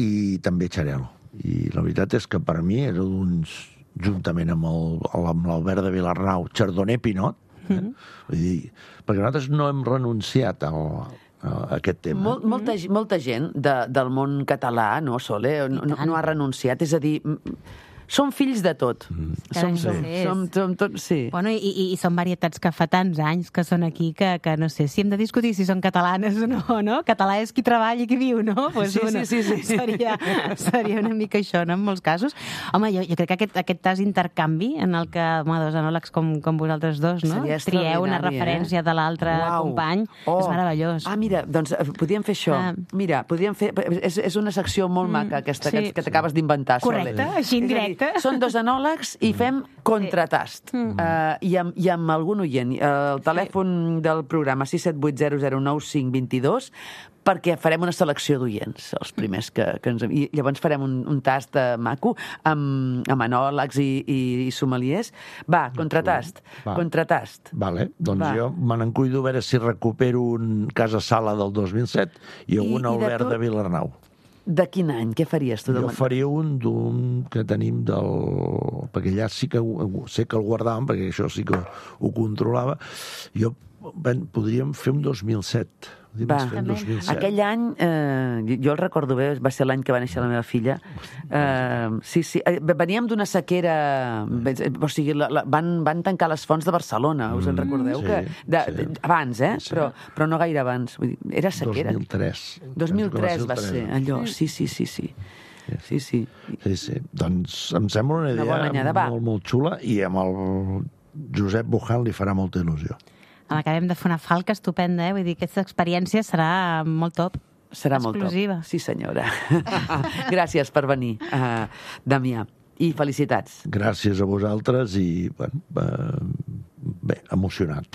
i també xarel·lo. I la veritat és que per mi era uns, juntament amb el- amb l'Albert de Vilarnau, Chardonnay Pinot, eh? Vull dir, perquè nosaltres no hem renunciat al, a aquest tema. Mol, molta, ge- molta gent de, del món català, no, Sole, no, no, no ha renunciat. És a dir, m- som fills de tot. Carai, Som, som, sí. som, som tot, sí. Bueno, i, i, i són varietats que fa tants anys que són aquí que, que no sé, si hem de discutir si són catalanes o no, no? Català és qui treballa i qui viu, no? Pues, Sí, sí, sí, sí. Seria, seria una mica això, no?, en molts casos. Home, jo, jo crec que aquest, aquest tas intercanvi en el que, home, dos enòlegs com, com vosaltres dos, no? Seria Trieu una extraordinari, referència eh? de l'altre Uau. company, és meravellós. Ah, mira, doncs eh, podríem fer això. Ah. Mira, podríem fer... És, és una secció molt maca, aquesta, sí. que, que t'acabes d'inventar, Sole. Correcte, així en És a dir, directe. Són dos enòlegs i fem contratast. Uh, i, amb, I amb algun oient. Uh, el telèfon del programa sis set vuit zero zero nou cinc dos dos, perquè farem una selecció d'oients, els primers que, que ens... I llavors farem un, un tast uh, maco amb, amb enòlegs i, i, i sommeliers. Va, contratast. Va. Contratast. Vale, doncs Va. jo me n'en cuido a veure si recupero un Casa Sala del dos mil set i I- un i de Albert tot- de Vilarnau. De quin any? Què faries tu? Jo faria un d'un que tenim del... Perquè allà sí que ho- sé que el guardàvem, perquè això sí que ho controlava. Jo ben, podríem fer un dos mil set. Va, Fer un dos mil set. aquell any, eh, jo el recordo bé, va ser l'any que va néixer la meva filla. Eh, sí, sí, eh, veníem d'una sequera... O sigui, la, la, van, van tancar les fonts de Barcelona, us en recordeu? sí, que de, sí. de, abans, eh? Sí. Però, però no gaire abans. Vull dir, era sequera. dos mil tres. dos mil tres Penso que va el ser, tres. allò, sí, sí, sí, sí. Sí, sí. Sí, sí. Doncs em sembla una Una idea bona anyada, va. molt, molt xula i amb el Josep Buján li farà molta il·lusió. Acabem de fer una falca estupenda, eh? Vull dir, aquesta experiència serà molt top. Serà molt top. Exclusiva. Sí, senyora. Gràcies per venir, uh, Damià. I felicitats. Gràcies a vosaltres i, bueno, eh, bé, emocionat.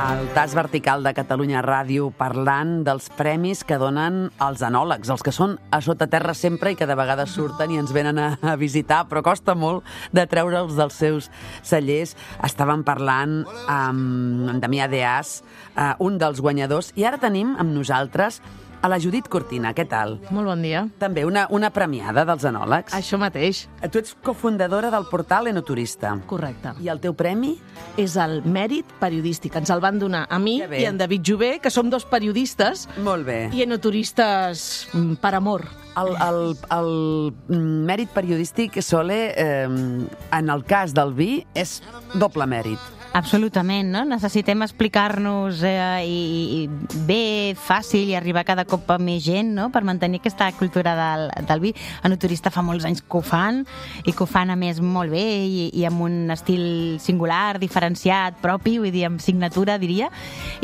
El tas vertical de Catalunya Ràdio parlant dels premis que donen els enòlegs, els que són a sota terra sempre i que de vegades surten i ens venen a, a visitar, però costa molt de treure'ls dels seus cellers. Estàvem parlant amb, amb Damià Deàs, eh, un dels guanyadors, i ara tenim amb nosaltres a la Judit Cortina. Què tal? Molt bon dia. També una, una premiada dels enòlegs. Això mateix. Tu ets cofundadora del portal Enoturista. Correcte. I el teu premi? És el mèrit periodístic. Ens el van donar a mi i en David Jové, que som dos periodistes. Molt bé. I enoturistes per amor. El, el, el mèrit periodístic, Sole, eh, en el cas del vi, és doble mèrit. Absolutament, no? Necessitem explicar-nos eh, i, i bé, fàcil, i arribar cada cop a més gent, no?, per mantenir aquesta cultura del, del vi. Enoturista fa molts anys que ho fan, i que ho fan, a més, molt bé, i, i amb un estil singular, diferenciat, propi, vull dir, amb signatura, diria.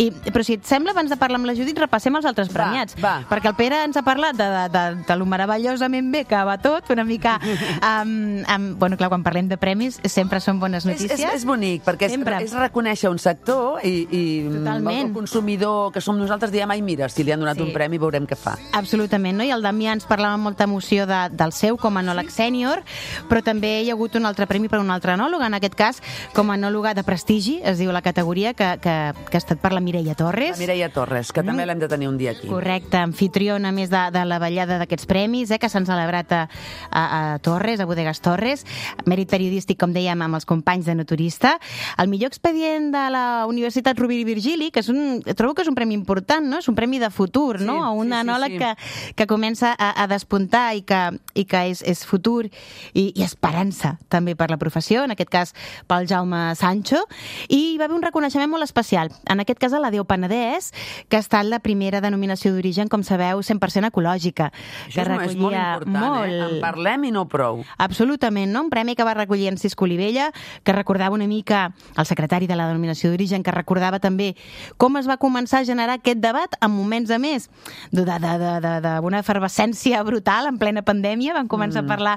I, però si et sembla, abans de parlar amb la Judit, repassem els altres premiats. Va, va. Perquè el Pere ens ha parlat de, de, de, de lo meravellosament bé que va tot, una mica... Um, um, bueno, clar, quan parlem de premis, sempre són bones notícies. És, és, és bonic, perquè és, és reconèixer un sector i, i el consumidor que som nosaltres diem, ai, mira, si li han donat sí. un premi veurem què fa. Absolutament, no? I el Damià ens parlava amb molta emoció de, del seu com a enòleg sènior, però també hi ha hagut un altre premi per un altre enòleg, en aquest cas com a enòloga de prestigi, es diu la categoria, que, que, que ha estat per la Mireia Torres. La Mireia Torres, que mm. també l'hem de tenir un dia aquí. Correcte, anfitriona més de, de la ballada d'aquests premis, eh, que s'han celebrat a, a, a Torres, a Bodegas Torres, mèrit periodístic, com dèiem, amb els companys de Enoturista. El millor expedient de la Universitat Rovira i Virgili, que és un, trobo que és un premi important, no? És un premi de futur, sí, no? A un sí, enòleg sí, sí. que, que comença a, a despuntar i que, i que és, és futur i, i esperança també per la professió, en aquest cas pel Jaume Sancho, i hi va haver un reconeixement molt especial, en aquest cas a la Déu Penedès, que ha estat la primera denominació d'origen, com sabeu, cent per cent ecològica. Això que és molt important, molt... eh? En parlem i no prou. Absolutament, no? Un premi que va recollir en Cisco Olivella, que recordava una mica el secretari de la denominació d'origen, que recordava també com es va començar a generar aquest debat en moments a més d'una efervescència brutal en plena pandèmia. Vam començar mm. a parlar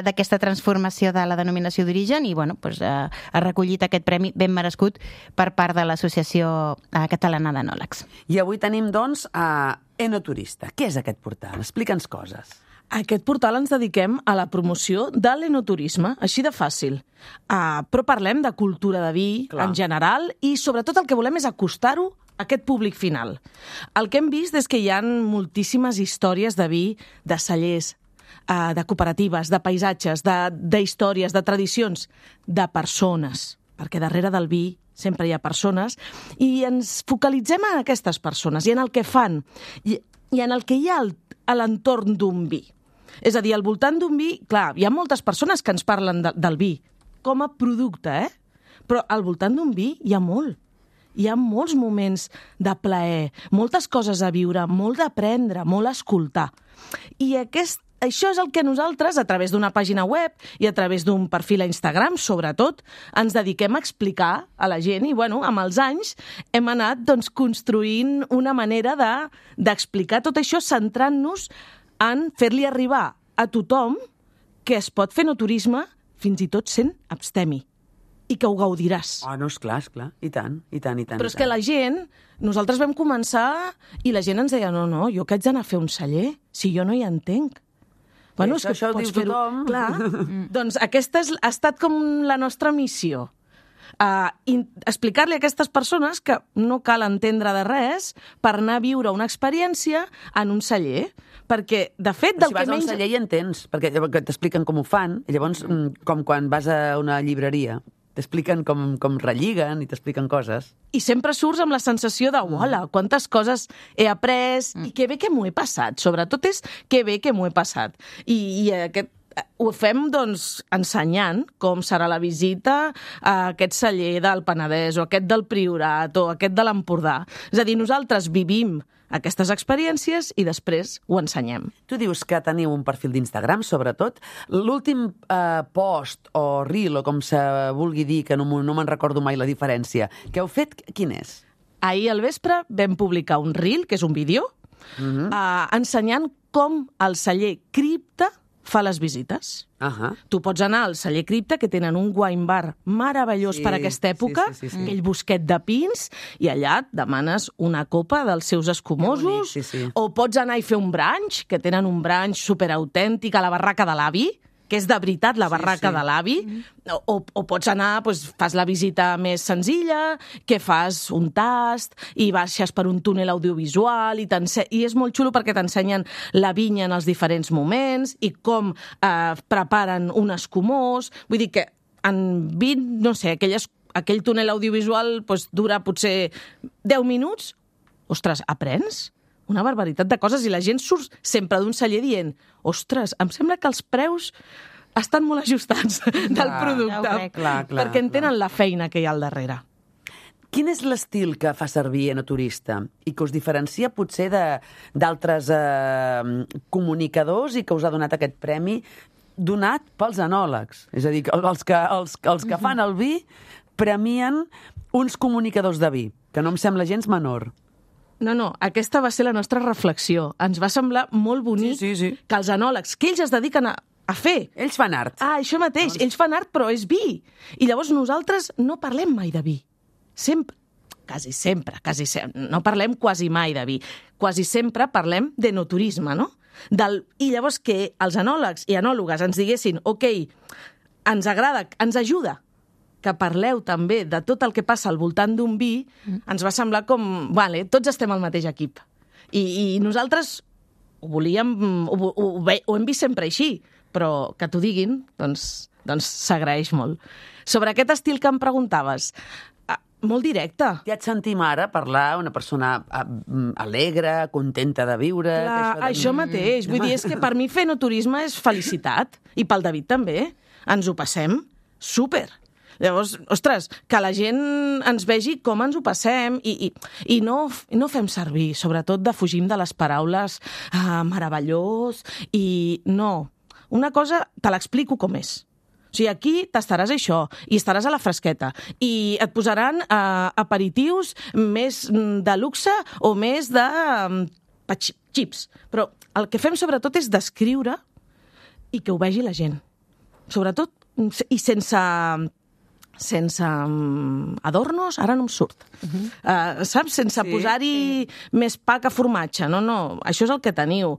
d'aquesta transformació de la denominació d'origen i bueno, pues, eh, ha recollit aquest premi ben merescut per part de l'Associació Catalana d'Enòlegs. I avui tenim, doncs, a Enoturista. Què és aquest portal? Explica'ns coses. A aquest portal ens dediquem a la promoció de l'enoturisme, així de fàcil. Uh, però parlem de cultura de vi, clar, en general, i sobretot el que volem és acostar-ho a aquest públic final. El que hem vist és que hi ha moltíssimes històries de vi, de cellers, uh, de cooperatives, de paisatges, d'històries, de, de tradicions, de persones, perquè darrere del vi sempre hi ha persones, i ens focalitzem en aquestes persones i en el que fan, i, i en el que hi ha al, a l'entorn d'un vi. És a dir, al voltant d'un vi, clar, hi ha moltes persones que ens parlen de, del vi com a producte, eh? Però al voltant d'un vi hi ha molt. Hi ha molts moments de plaer, moltes coses a viure, molt d'aprendre, molt a escoltar. I aquest Això és el que nosaltres, a través d'una pàgina web i a través d'un perfil a Instagram, sobretot, ens dediquem a explicar a la gent i, bueno, amb els anys hem anat doncs, construint una manera de, d'explicar tot això centrant-nos en fer-li arribar a tothom que es pot fer enoturisme fins i tot sent abstemi i que ho gaudiràs. Ah, no, esclar, esclar. I tant, i tant, i tant. Però és que la gent, nosaltres vam començar i la gent ens deia, no, no, jo que haig d'anar a fer un celler, si jo no hi entenc. Bueno, sí, és que això ho diu tothom. Clar, doncs aquesta és, ha estat com la nostra missió. Uh, explicar-li a aquestes persones que no cal entendre de res per anar a viure una experiència en un celler. Perquè, de fet, del si vas que menys... a un celler hi entens, perquè t'expliquen com ho fan, i llavors, com quan vas a una llibreria, t'expliquen com, com relliguen i t'expliquen coses. I sempre surts amb la sensació de, uala, quantes coses he après mm. i que bé que m'ho he passat. Sobretot és que bé que m'ho he passat. I, i aquest, ho fem, doncs, ensenyant com serà la visita a aquest celler del Penedès o aquest del Priorat o aquest de l'Empordà. És a dir, nosaltres vivim aquestes experiències i després ho ensenyem. Tu dius que teniu un perfil d'Instagram, sobretot. L'últim eh, post o reel, o com se vulgui dir, que no, no me'n recordo mai la diferència, que heu fet, quin és? Ahir al vespre vam publicar un reel, que és un vídeo, uh-huh. eh, ensenyant com el celler Cripta fa les visites. Uh -huh. Tu pots anar al Celler Cripta, que tenen un wine bar meravellós Sí, per aquesta època, sí, sí, sí, sí. aquell bosquet de pins, i allà et demanes una copa dels seus escumosos, Que bonic, sí, sí. o pots anar i fer un brunch, que tenen un brunch superautèntic a la barraca de l'avi, que és de veritat la barraca sí. de l'avi, o, o pots anar, doncs, fas la visita més senzilla, que fas un tast, i baixes per un túnel audiovisual, i, i és molt xulo perquè t'ensenyen la vinya en els diferents moments, i com eh, preparen un escumós. Vull dir que en vint, no sé, aquelles, aquell túnel audiovisual doncs, dura potser deu minuts. Ostres, aprens? Una barbaritat de coses, i la gent surt sempre d'un celler dient ostres, em sembla que els preus estan molt ajustats del Clar, producte, ja ho crec. Clar, clar, perquè entenen clar. la feina que hi ha al darrere. Quin és l'estil que fa servir Enoturista i que us diferencia potser de- d'altres eh, comunicadors i que us ha donat aquest premi donat pels enòlegs? És a dir, que els que, els, els que fan el vi premien uns comunicadors de vi, que no em sembla gens menor. No, no, aquesta va ser la nostra reflexió. Ens va semblar molt bonic Sí, sí, sí. que els enòlegs, que ells es dediquen a, a fer... Ells fan art. Ah, això mateix, ells fan art, però és vi. I llavors nosaltres no parlem mai de vi. Sempre, quasi sempre, quasi sempre, no parlem quasi mai de vi. Quasi sempre parlem d'enoturisme, no? Del, I llavors que els enòlegs i enòlogues ens diguessin ok, ens agrada, ens ajuda que parleu també de tot el que passa al voltant d'un vi, ens va semblar com, vale, tots estem al mateix equip. I, i nosaltres ho volíem, ho, ho, ho, ve- ho hem vist sempre així, però que t'ho diguin, doncs doncs s'agraeix molt. Sobre aquest estil que em preguntaves, ah, molt directe. Ja et sentim ara parlar una persona ah, mm, alegre, contenta de viure... Clar, que això mateix. Vull dir, és que per mi fer enoturisme és felicitat. I pel David també. Ens ho passem súper. Llavors, ostres, que la gent ens vegi com ens ho passem i, i, i no, no fem servir, sobretot defugim de les paraules ah, meravellós i no. Una cosa te l'explico com és. O sigui, aquí tastaràs això i estaràs a la fresqueta i et posaran eh, aperitius més mm, de luxe o més de mm, xips. Però el que fem sobretot és descriure i que ho vegi la gent. Sobretot, i sense sense um, adornos, ara no em surt. Uh-huh. Uh, saps? Sense sí, posar-hi sí. més pa que formatge. No, no, això és el que teniu.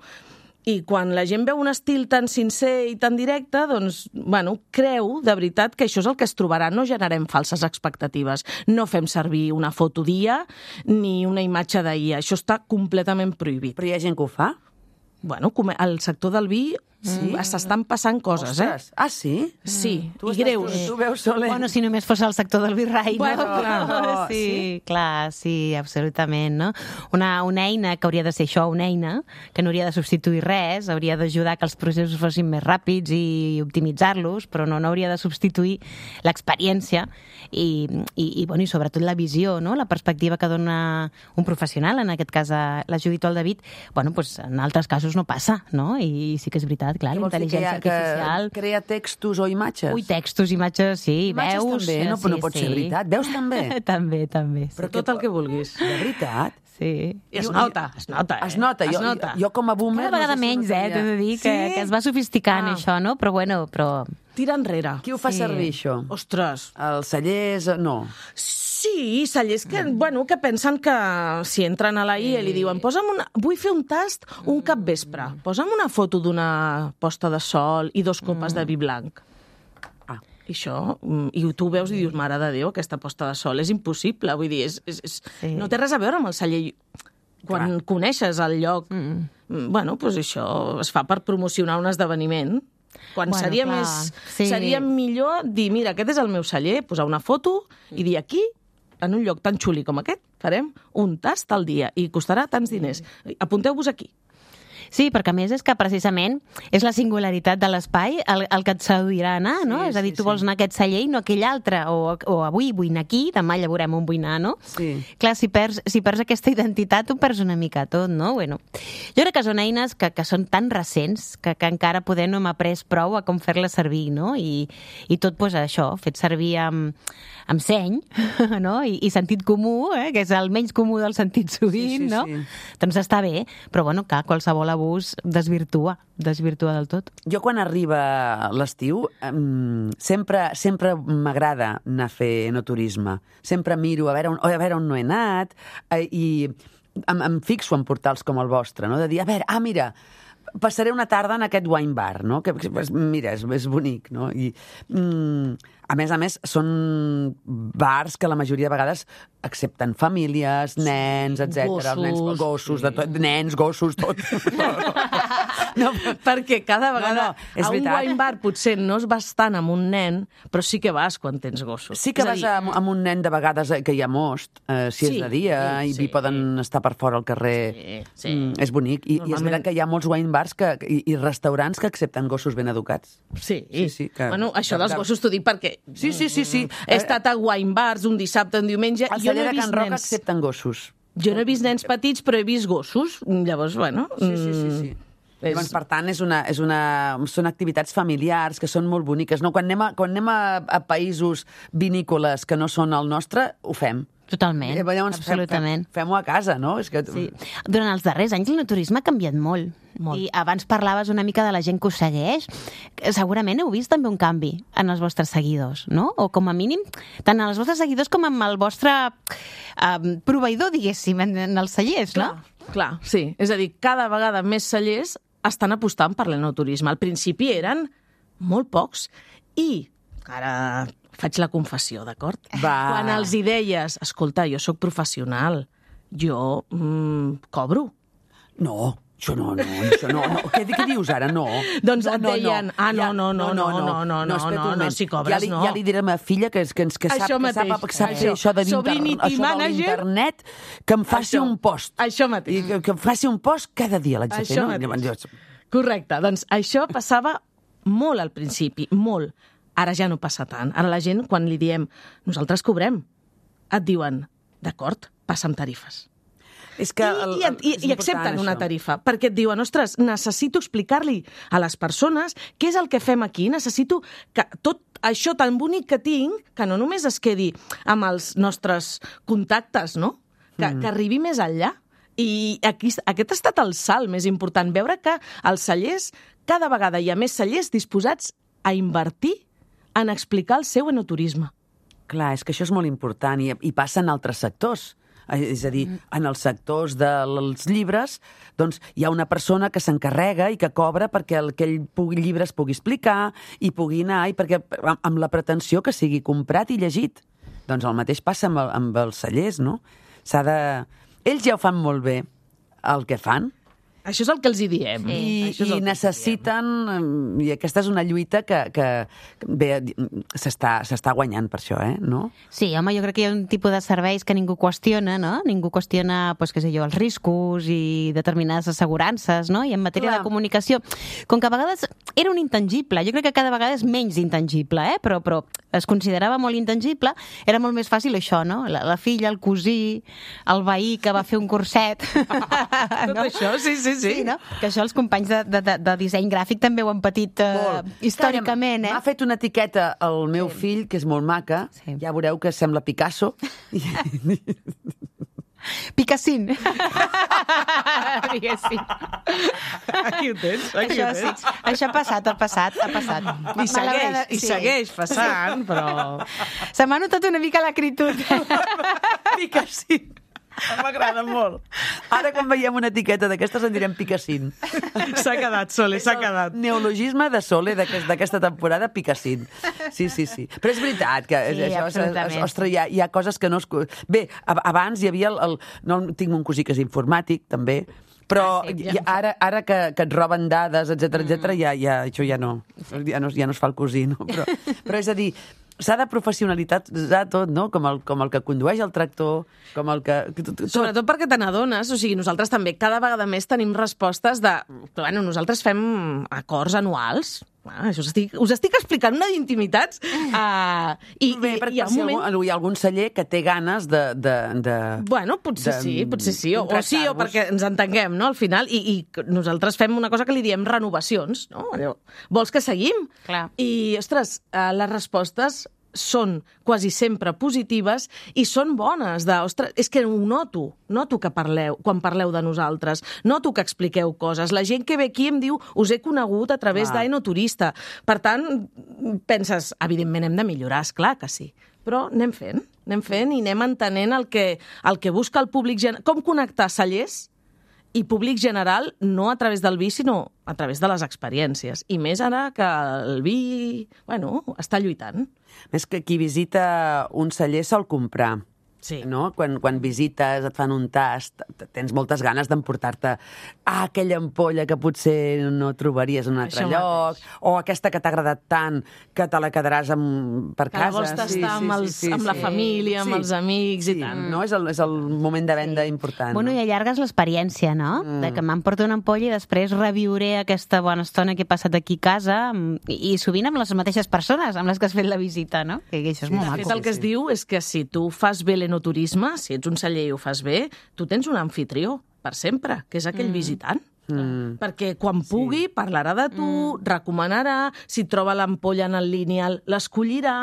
I quan la gent veu un estil tan sincer i tan directe, doncs, bueno, creu de veritat que això és el que es trobarà. No generem falses expectatives. No fem servir una foto dia ni una imatge d'ahir. Això està completament prohibit. Però hi ha gent que ho fa? Bueno, al sector del vi sí. s'estan passant coses, Ostres. eh? Ah, sí? Sí, tu i greus. Tu, tu veus soler. Bueno, si només fos el sector del virrei, Bueno, no? clar. No, sí, sí, clar, sí, absolutament, no? Una, una eina que hauria de ser això, una eina que no hauria de substituir res, hauria d'ajudar que els processos fossin més ràpids i optimitzar-los, però no, no hauria de substituir l'experiència i, i, i, bueno, i sobretot la visió, no? La perspectiva que dona un professional, en aquest cas la Judit o el David, bueno, pues, en altres casos no passa, no? I sí que és veritat, clar, la intel·ligència artificial... Que crea textos o imatges? Ui, textos, imatges, sí, imatges veus... també, no, sí, no pot sí. ser veritat. Veus també? també, també. Sí. Però tot el que vulguis. De veritat? Sí. I es nota, es nota, eh? Es nota. Es Jo, nota. jo, jo com a boomer... Cada vegada no sé si menys, eh, notaria. t'he de dir, que, Sí? que es va sofisticant Ah. això, no? Però bueno, però... Tira enrere. Qui ho fa Sí. servir, això? Ostres. Els cellers... No. Sí, cellers que, bueno, que pensen que si entren a la I E li diuen posa'm una, vull fer un tast un capvespre, posa'm una foto d'una posta de sol i dos copes de vi blanc. Ah. I això, mm, i tu ho veus i dius, mare de Déu, aquesta posta de sol és impossible, vull dir, és, és, és, Sí. no té res a veure amb el celler. Quan Clar. coneixes el lloc, mm. bueno, doncs això es fa per promocionar un esdeveniment. Quan Bueno, seria clar, més... sí. Seria millor dir, mira, aquest és el meu celler, posar una foto i dir aquí, en un lloc tan xuli com aquest, farem un tast al dia i costarà tants diners. Apunteu-vos aquí. Sí, perquè a més és que precisament és la singularitat de l'espai el, el que et seduirà anar, no? Sí, és a dir, sí, tu sí. vols anar a aquest celler i no a aquell altre, o, o avui vull anar aquí, demà ja veurem on vull anar, no? Sí. Clar, si perds, si perds aquesta identitat, ho perds una mica tot, no? Bueno, jo crec que són eines que, que són tan recents que, que encara poder no hem après prou a com fer-les servir, no? I, i tot, doncs, això, fet servir amb, amb seny, no? I, i sentit comú, eh? Que és el menys comú del sentit sovint, Sí, sí, no? sí. Doncs està bé, però bueno, clar, qualsevol l'abús desvirtua, desvirtua del tot. Jo quan arriba l'estiu um, sempre, sempre m'agrada anar a fer enoturisme. Sempre miro a veure on, a veure on no he anat eh, i em, em fixo en portals com el vostre, no? De dir, a veure, ah, mira, passaré una tarda en aquest wine bar, no? Que, mira, és, és bonic, no? I, mm, a més a més, són bars que la majoria de vegades accepten famílies, nens, etcètera. Gossos. Nens, gossos, de tot, nens, gossos, tot. No, perquè cada vegada no, no, és a un veritat. wine bar potser no es vas tant amb un nen, però sí que vas quan tens gossos. Sí que És a vas dir, amb, amb un nen de vegades que hi ha most, eh, si Sí, és de dia, sí, i sí. poden estar per fora al carrer. Sí, sí. Mm, és bonic. I, I és Normalment- veritat que hi ha molts wine bars que, i, i restaurants que accepten gossos ben educats. Sí, Sí, sí, que- bueno, això que- dels que- gossos t'ho dic perquè Sí, sí, sí, sí. he estat a wine bars un dissabte, un diumenge, Al i jo no celler he de Can vist Roca nens... accepten gossos. Jo no he vist nens petits, però he vist gossos. Llavors, bueno... Sí, sí, sí, sí. mm, Llavors, per tant, és una, és una, són activitats familiars que són molt boniques. No? Quan anem, a, quan anem a, a països vinícoles que no són el nostre, ho fem. Totalment, Eh, llavors absolutament. Fem, fem-ho a casa, no? És que... Sí. Durant els darrers anys l'enoturisme ha canviat molt. Molt. I abans parlaves una mica de la gent que us segueix. Segurament heu vist també un canvi en els vostres seguidors, no? O com a mínim, tant en els vostres seguidors com en el vostre eh, proveïdor, diguéssim, en, en els cellers, no? Clar, clar, sí. És a dir, cada vegada més cellers estan apostant per l'enoturisme. Al principi eren molt pocs i ara faig la confessió, d'acord? Va. Quan els hi deies, escolta, jo sóc professional, jo mm, cobro. No, això no, no, això no. no. Què, què dius ara? No. Doncs no, et deien, ah, no, no, no, no, no, no, no, espera't un no, no, moment. si cobres, ja li, no. Ja li diré a la meva filla que, que, que sap, Això que mateix, sap, que sap això. fer això de Sobrinity l'inter- això de manager. l'internet, que em faci Això. un post. Això mateix. I que, que em faci un post cada dia, l'haig de fer, Això no? mateix. Llavors, Correcte, doncs això passava molt al principi, molt. Ara ja no passa tant. Ara la gent, quan li diem nosaltres cobrem, et diuen, d'acord, passa'm tarifes. és que el, I, i, el, i, és i important, accepten una això. tarifa, perquè et diuen, ostres, necessito explicar-li a les persones què és el que fem aquí, necessito que tot això tan bonic que tinc, que no només es quedi amb els nostres contactes, no? Que, mm. que arribi més enllà. I aquí, aquest ha estat el salt més important, veure que els cellers, cada vegada hi ha més cellers disposats a invertir en explicar el seu enoturisme. Clar, és que això és molt important i, i passa en altres sectors. És a dir, en els sectors dels llibres, doncs hi ha una persona que s'encarrega i que cobra perquè el, aquell pugui, llibre es pugui explicar i pugui anar, i perquè, amb la pretensió que sigui comprat i llegit. Doncs el mateix passa amb, el, amb els cellers, no? S'ha de... Ells ja ho fan molt bé, el que fan, Això és el que els hi diem. I, Això és i el que necessiten, i aquesta és una lluita que, que bé, s'està s'està guanyant per això, eh? No? Sí, home, jo crec que hi ha un tipus de serveis que ningú qüestiona, no? Ningú qüestiona, pues, què sé jo, els riscos i determinades assegurances, no? I en matèria Clar. de comunicació, com que a vegades era un intangible, jo crec que cada vegada és menys intangible, eh? Però, però es considerava molt intangible, era molt més fàcil això, no? La, la filla, el cosí, el veí que va fer un curset. Tot no? això, sí, sí, sí. Sí, no? Que això els companys de, de, de, de disseny gràfic també ho han patit uh, històricament, eh? M'ha fet una etiqueta el meu sí. fill, que és molt maca, Sí. ja veureu que sembla Picasso. Picassín. Diguéssim. Aquí ho tens, aquí Això ho sí, tens. això ha passat, ha passat, ha passat. I segueix, i segueix passant, però... Se m'ha notat una mica l'acritud. Picassín. M'agrada molt. Ara, quan veiem una etiqueta d'aquestes, en direm Picassín. S'ha quedat, Sole, s'ha quedat. Neologisme de Sole d'aquest- d'aquesta temporada, Picassín. Sí, sí, sí. Però és veritat que Sí, això, absolutament. ostres, hi ha, hi ha coses que no es... Bé, ab- abans hi havia el... el no, tinc un cosí que és informàtic, també, però Ah, sí, ja, ara, ara que, que et roben dades, etcètera, etcètera, ja, ja, això ja no, ja no, ja no es fa el cosí, no? Però, però és a dir, s'ha de professionalitzar tot, no? Com el, com el que condueix el tractor, com el que... Tot. Sobretot perquè te n'adones, o sigui, nosaltres també cada vegada més tenim respostes de... Bueno, nosaltres fem acords anuals, ah, això us estic, us estic explicant una d'intimitats, uh, i, Bé, i, perquè i hi ha un si moment... algú, hi ha algun celler que té ganes de... de, de Bueno, potser de sí, potser sí, o, o sí, o contractar-vos. perquè ens entenguem, no?, al final, i, i nosaltres fem una cosa que li diem renovacions, no? Allò, vols que seguim? Clar. I, ostres, eh, les respostes són quasi sempre positives i són bones. De, ostres, és que ho noto, noto que parleu, quan parleu de nosaltres, noto que expliqueu coses. La gent que ve aquí em diu, us he conegut a través d'Enoturista. Per tant, penses, evidentment hem de millorar, esclar que sí. Però anem fent, anem fent i anem entenent el que, el que busca el públic general. Com connectar cellers i públic general no a través del vi, sinó a través de les experiències. I més ara que el vi, bueno, està lluitant. Més que qui visita un celler sol comprar. Sí. No? Quan, quan visites, et fan un tast, tens moltes ganes d'emportar-te ah, aquella ampolla que potser no trobaries en un altre Això lloc, mateix. o aquesta que t'ha agradat tant que te la quedaràs amb, per Que casa. la vols tastar sí, sí, amb, els, sí, sí, amb la sí. família, amb Sí. els amics Sí, i tant. no? És el, és el moment de venda important. Bueno, i allargues l'experiència, no? Mm. De que m'emporto una ampolla i després reviuré aquesta bona estona que he passat aquí a casa i, i sovint amb les mateixes persones amb les que has fet la visita, no? Que, que això és molt De maco. fet, el que es diu és que si tu fas bé l'enoturisme, si ets un celler i ho fas bé, tu tens un anfitrió per sempre, que és aquell mm. visitant. Mm. Perquè quan pugui sí. parlarà de tu, mm. recomanarà, si troba l'ampolla en el lineal, l'escollirà.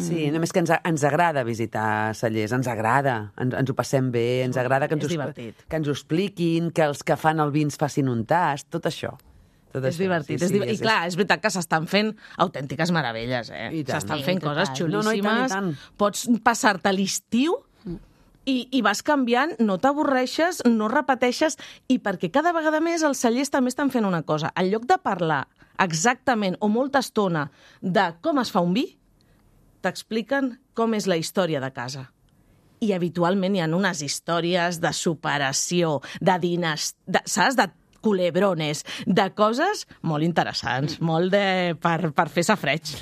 Sí, només que ens, ens agrada visitar cellers, ens agrada, ens, ens ho passem bé, ens agrada que ens, És ho, divertit. que ens ho expliquin, que els que fan el vi ens facin un tast, tot això. Tot És això. divertit. Sí, és sí, div... I clar, és veritat que s'estan fent autèntiques meravelles, eh? I tant. S'estan Sí, fent total. coses No, no, i tant, i xulíssimes. tant. Pots passar-te l'estiu i, i vas canviant, no t'avorreixes, no repeteixes, i perquè cada vegada més els cellers també estan fent una cosa. En lloc de parlar exactament o molta estona de com es fa un vi, t'expliquen com és la història de casa. I habitualment hi ha unes històries de superació, de dinastia, saps? De culebrones, de coses molt interessants, molt de, per, per fer safreig.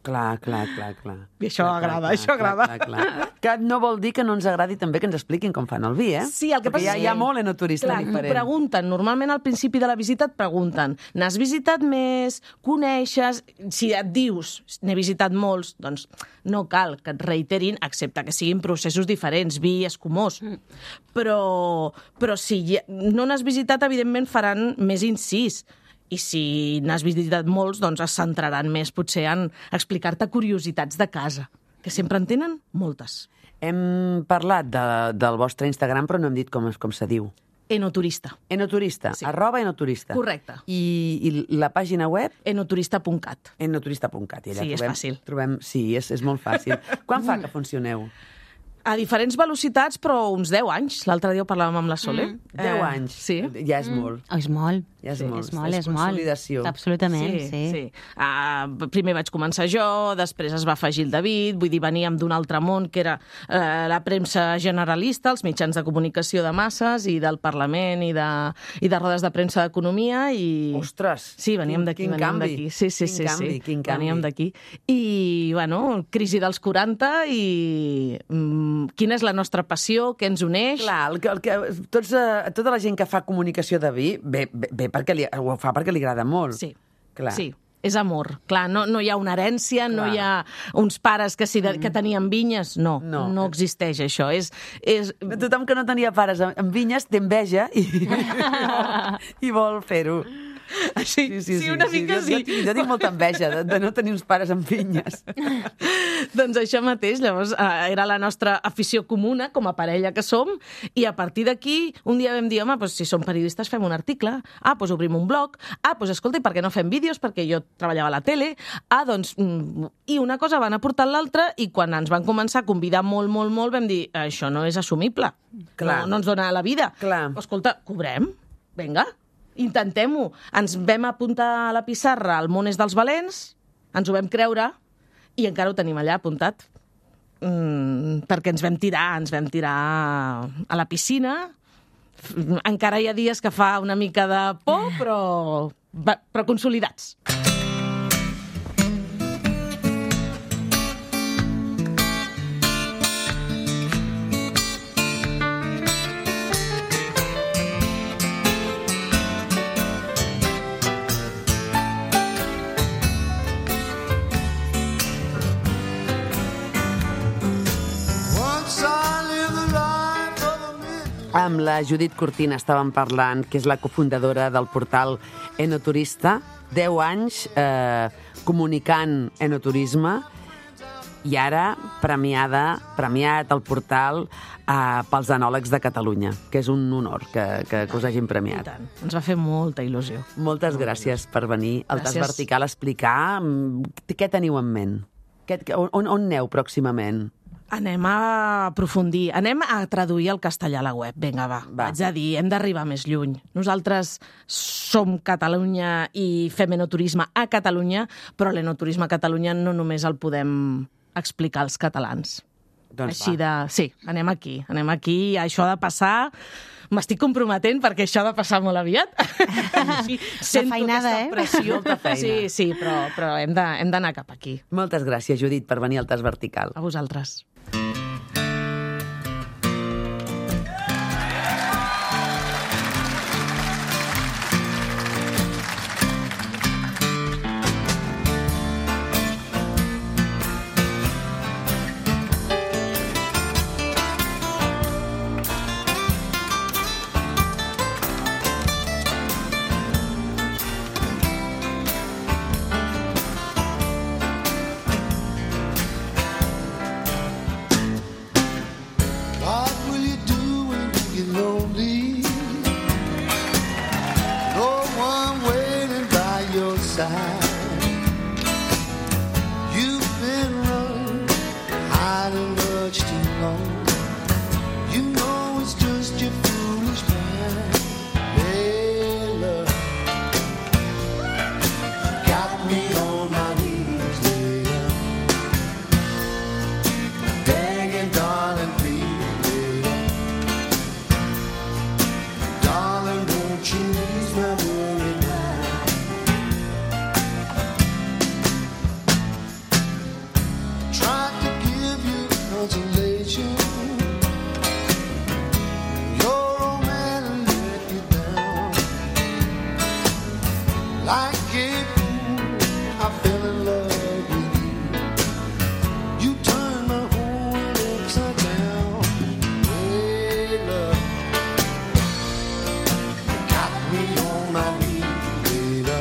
Clar, clar, clar, clar. I això clar, agrada, clar, això clar, agrada. Clar, clar. Que no vol dir que no ens agradi també que ens expliquin com fan el vi, eh? Sí, el que Perquè passa hi ha, hi ha molt enoturista clar, diferent. t'ho pregunten, normalment al principi de la visita et pregunten, n'has visitat més, coneixes, si et dius, n'he visitat molts, doncs no cal que et reiterin, excepte que siguin processos diferents, vi escumós. Mm. Però, però si ja, no n'has visitat, evidentment faran més incís. I si n'has visitat molts, doncs es centraran més potser en explicar-te curiositats de casa, que sempre en tenen moltes. Hem parlat de, del vostre Instagram, però no hem dit com, es- com se diu. Enoturista. Enoturista, Sí. arroba enoturista. Correcte. I, I la pàgina web? Enoturista punt cat. enoturista punt cat. I allà Sí, és trobem, fàcil. Trobem, sí, és, és molt fàcil. Quan fa que funcioneu? A diferents velocitats, però uns deu anys. L'altre dia ho parlàvem amb la Sole. Mm. Deu Eh, anys. Sí. Ja és molt. Oh, és molt. Ja és Sí, molt. és molt, és molt. consolidació. Absolutament, sí. sí. sí. Uh, primer vaig començar jo, després es va afegir el David, vull dir, veníem d'un altre món, que era uh, la premsa generalista, els mitjans de comunicació de masses i del Parlament i de, i de rodes de premsa d'economia. I... Ostres! Sí, veníem quin- d'aquí, quin veníem canvi. d'aquí. Sí, sí, Quin sí, canvi, sí. quin canvi. Veníem d'aquí. I, bueno, crisi dels quaranta i mm, quina és la nostra passió, què ens uneix. Clar, el que, el que, tots, eh, tota la gent que fa comunicació de vi, bé, bé, bé perquè li, ho fa perquè li agrada molt. Sí, Clar. sí. És amor. Clar, no, no hi ha una herència, Clar. no hi ha uns pares que, si de, que tenien vinyes. No, No. no, no existeix això. És, és... Tothom que no tenia pares amb, amb vinyes té enveja i, i vol fer-ho. Sí, sí, sí, una mica jo, sí. Jo, tinc, jo tinc molta enveja de, de no tenir uns pares amb vinyes. Doncs això mateix, llavors eh, era la nostra afició comuna com a parella que som, i a partir d'aquí un dia vam dir, home, doncs, si som periodistes fem un article, ah, doncs obrim un blog, ah, doncs escolta, i per què no fem vídeos? Perquè jo treballava a la tele, ah, doncs... Mm, i una cosa van aportar l'altra, i quan ens van començar a convidar molt, molt, molt, vam dir, això no és assumible, Clar. no, no ens dona la vida. Clar. Escolta, cobrem? Vinga, intentem-ho. Ens vam apuntar a la pissarra al món és dels valents, ens ho vam creure, i encara ho tenim allà apuntat. Mm, perquè ens vam tirar, ens vam tirar a la piscina. Encara hi ha dies que fa una mica de por, però, però consolidats. Amb la Judit Cortina estàvem parlant, que és la cofundadora del portal Enoturista, deu anys eh, comunicant enoturisme, I ara, premiada, premiat el portal eh, pels Enòlegs de Catalunya, que és un honor que, que, que us hagin premiat. I tant. Ens va fer molta il·lusió. Moltes gràcies per venir al Tas Gràcies. Vertical a explicar mm, què teniu en ment. Què, on, on aneu pròximament? Anem a aprofundir, anem a traduir el castellà a la web. Vinga, va, Va. vaig a dir, hem d'arribar més lluny. Nosaltres som Catalunya i fem enoturisme a Catalunya, però l'enoturisme a Catalunya no només el podem explicar als catalans. Doncs Així va. de... Sí, anem aquí, anem aquí, això ha de passar... M'estic comprometent perquè això ha de passar molt aviat. Sí, sento feinada, aquesta eh? pressió. Molta feina. Sí, sí, però, però hem de- hem d'anar cap aquí. Moltes gràcies, Judit, per venir al Tas Vertical. A vosaltres. What will you do when you get lonely? No one waiting by your side. You've been running, hiding much too long. You know it's just your foolish mind. Layla, got me on my knees, Layla. Begging, darling, please, Layla. Darling, won't you ease my worry now? Tried to give you consolation. Your old man let you down. Like a fool, I fell in love with you. You turned my whole world upside down. Layla, got me on my knees, Layla.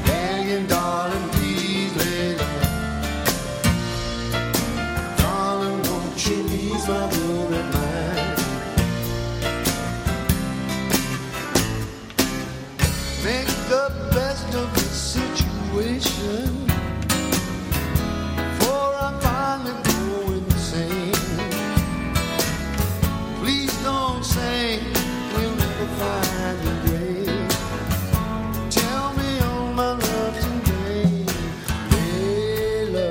Begging, darling, please, Layla. Darling, won't you ease my worried mind? Make the best of the situation, for I finally go insane. Please don't say we'll never find a grave. Tell me all my love today, Layla.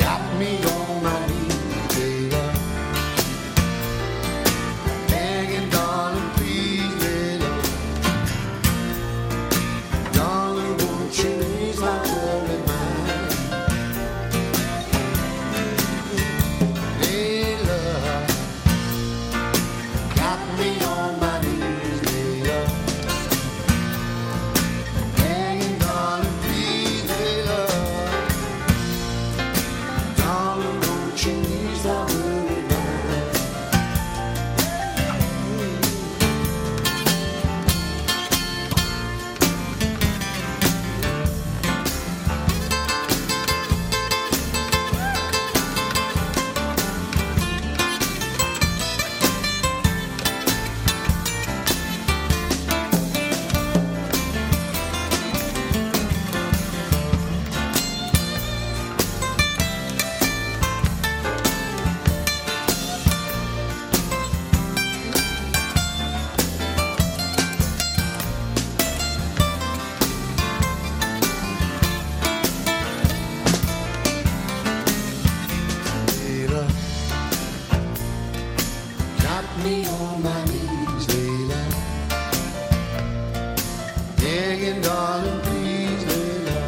Got me on my knees, Layla. Begging, darling, please, Layla. Darling, won't you ease my worried mind? Layla, got me on my knees, Layla. Begging, darling, please, Layla. Darling, won't you ease my worried mind? Layla, got me on my knees, Layla. Begging, darling, please, Layla.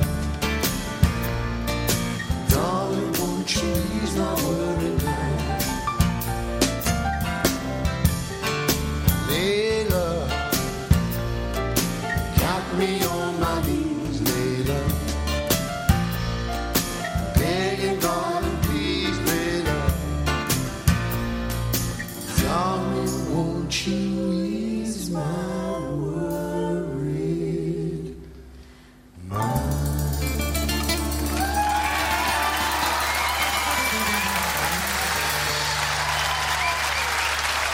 Darling, won't you ease my worried mind? Layla, got me on my knees, Layla. Begging, darling, please, Layla. Darling, won't you ease my worried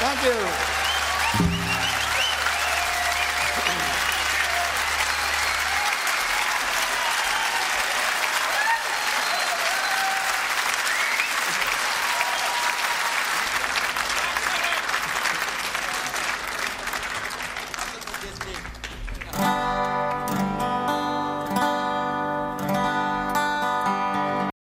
Thank you.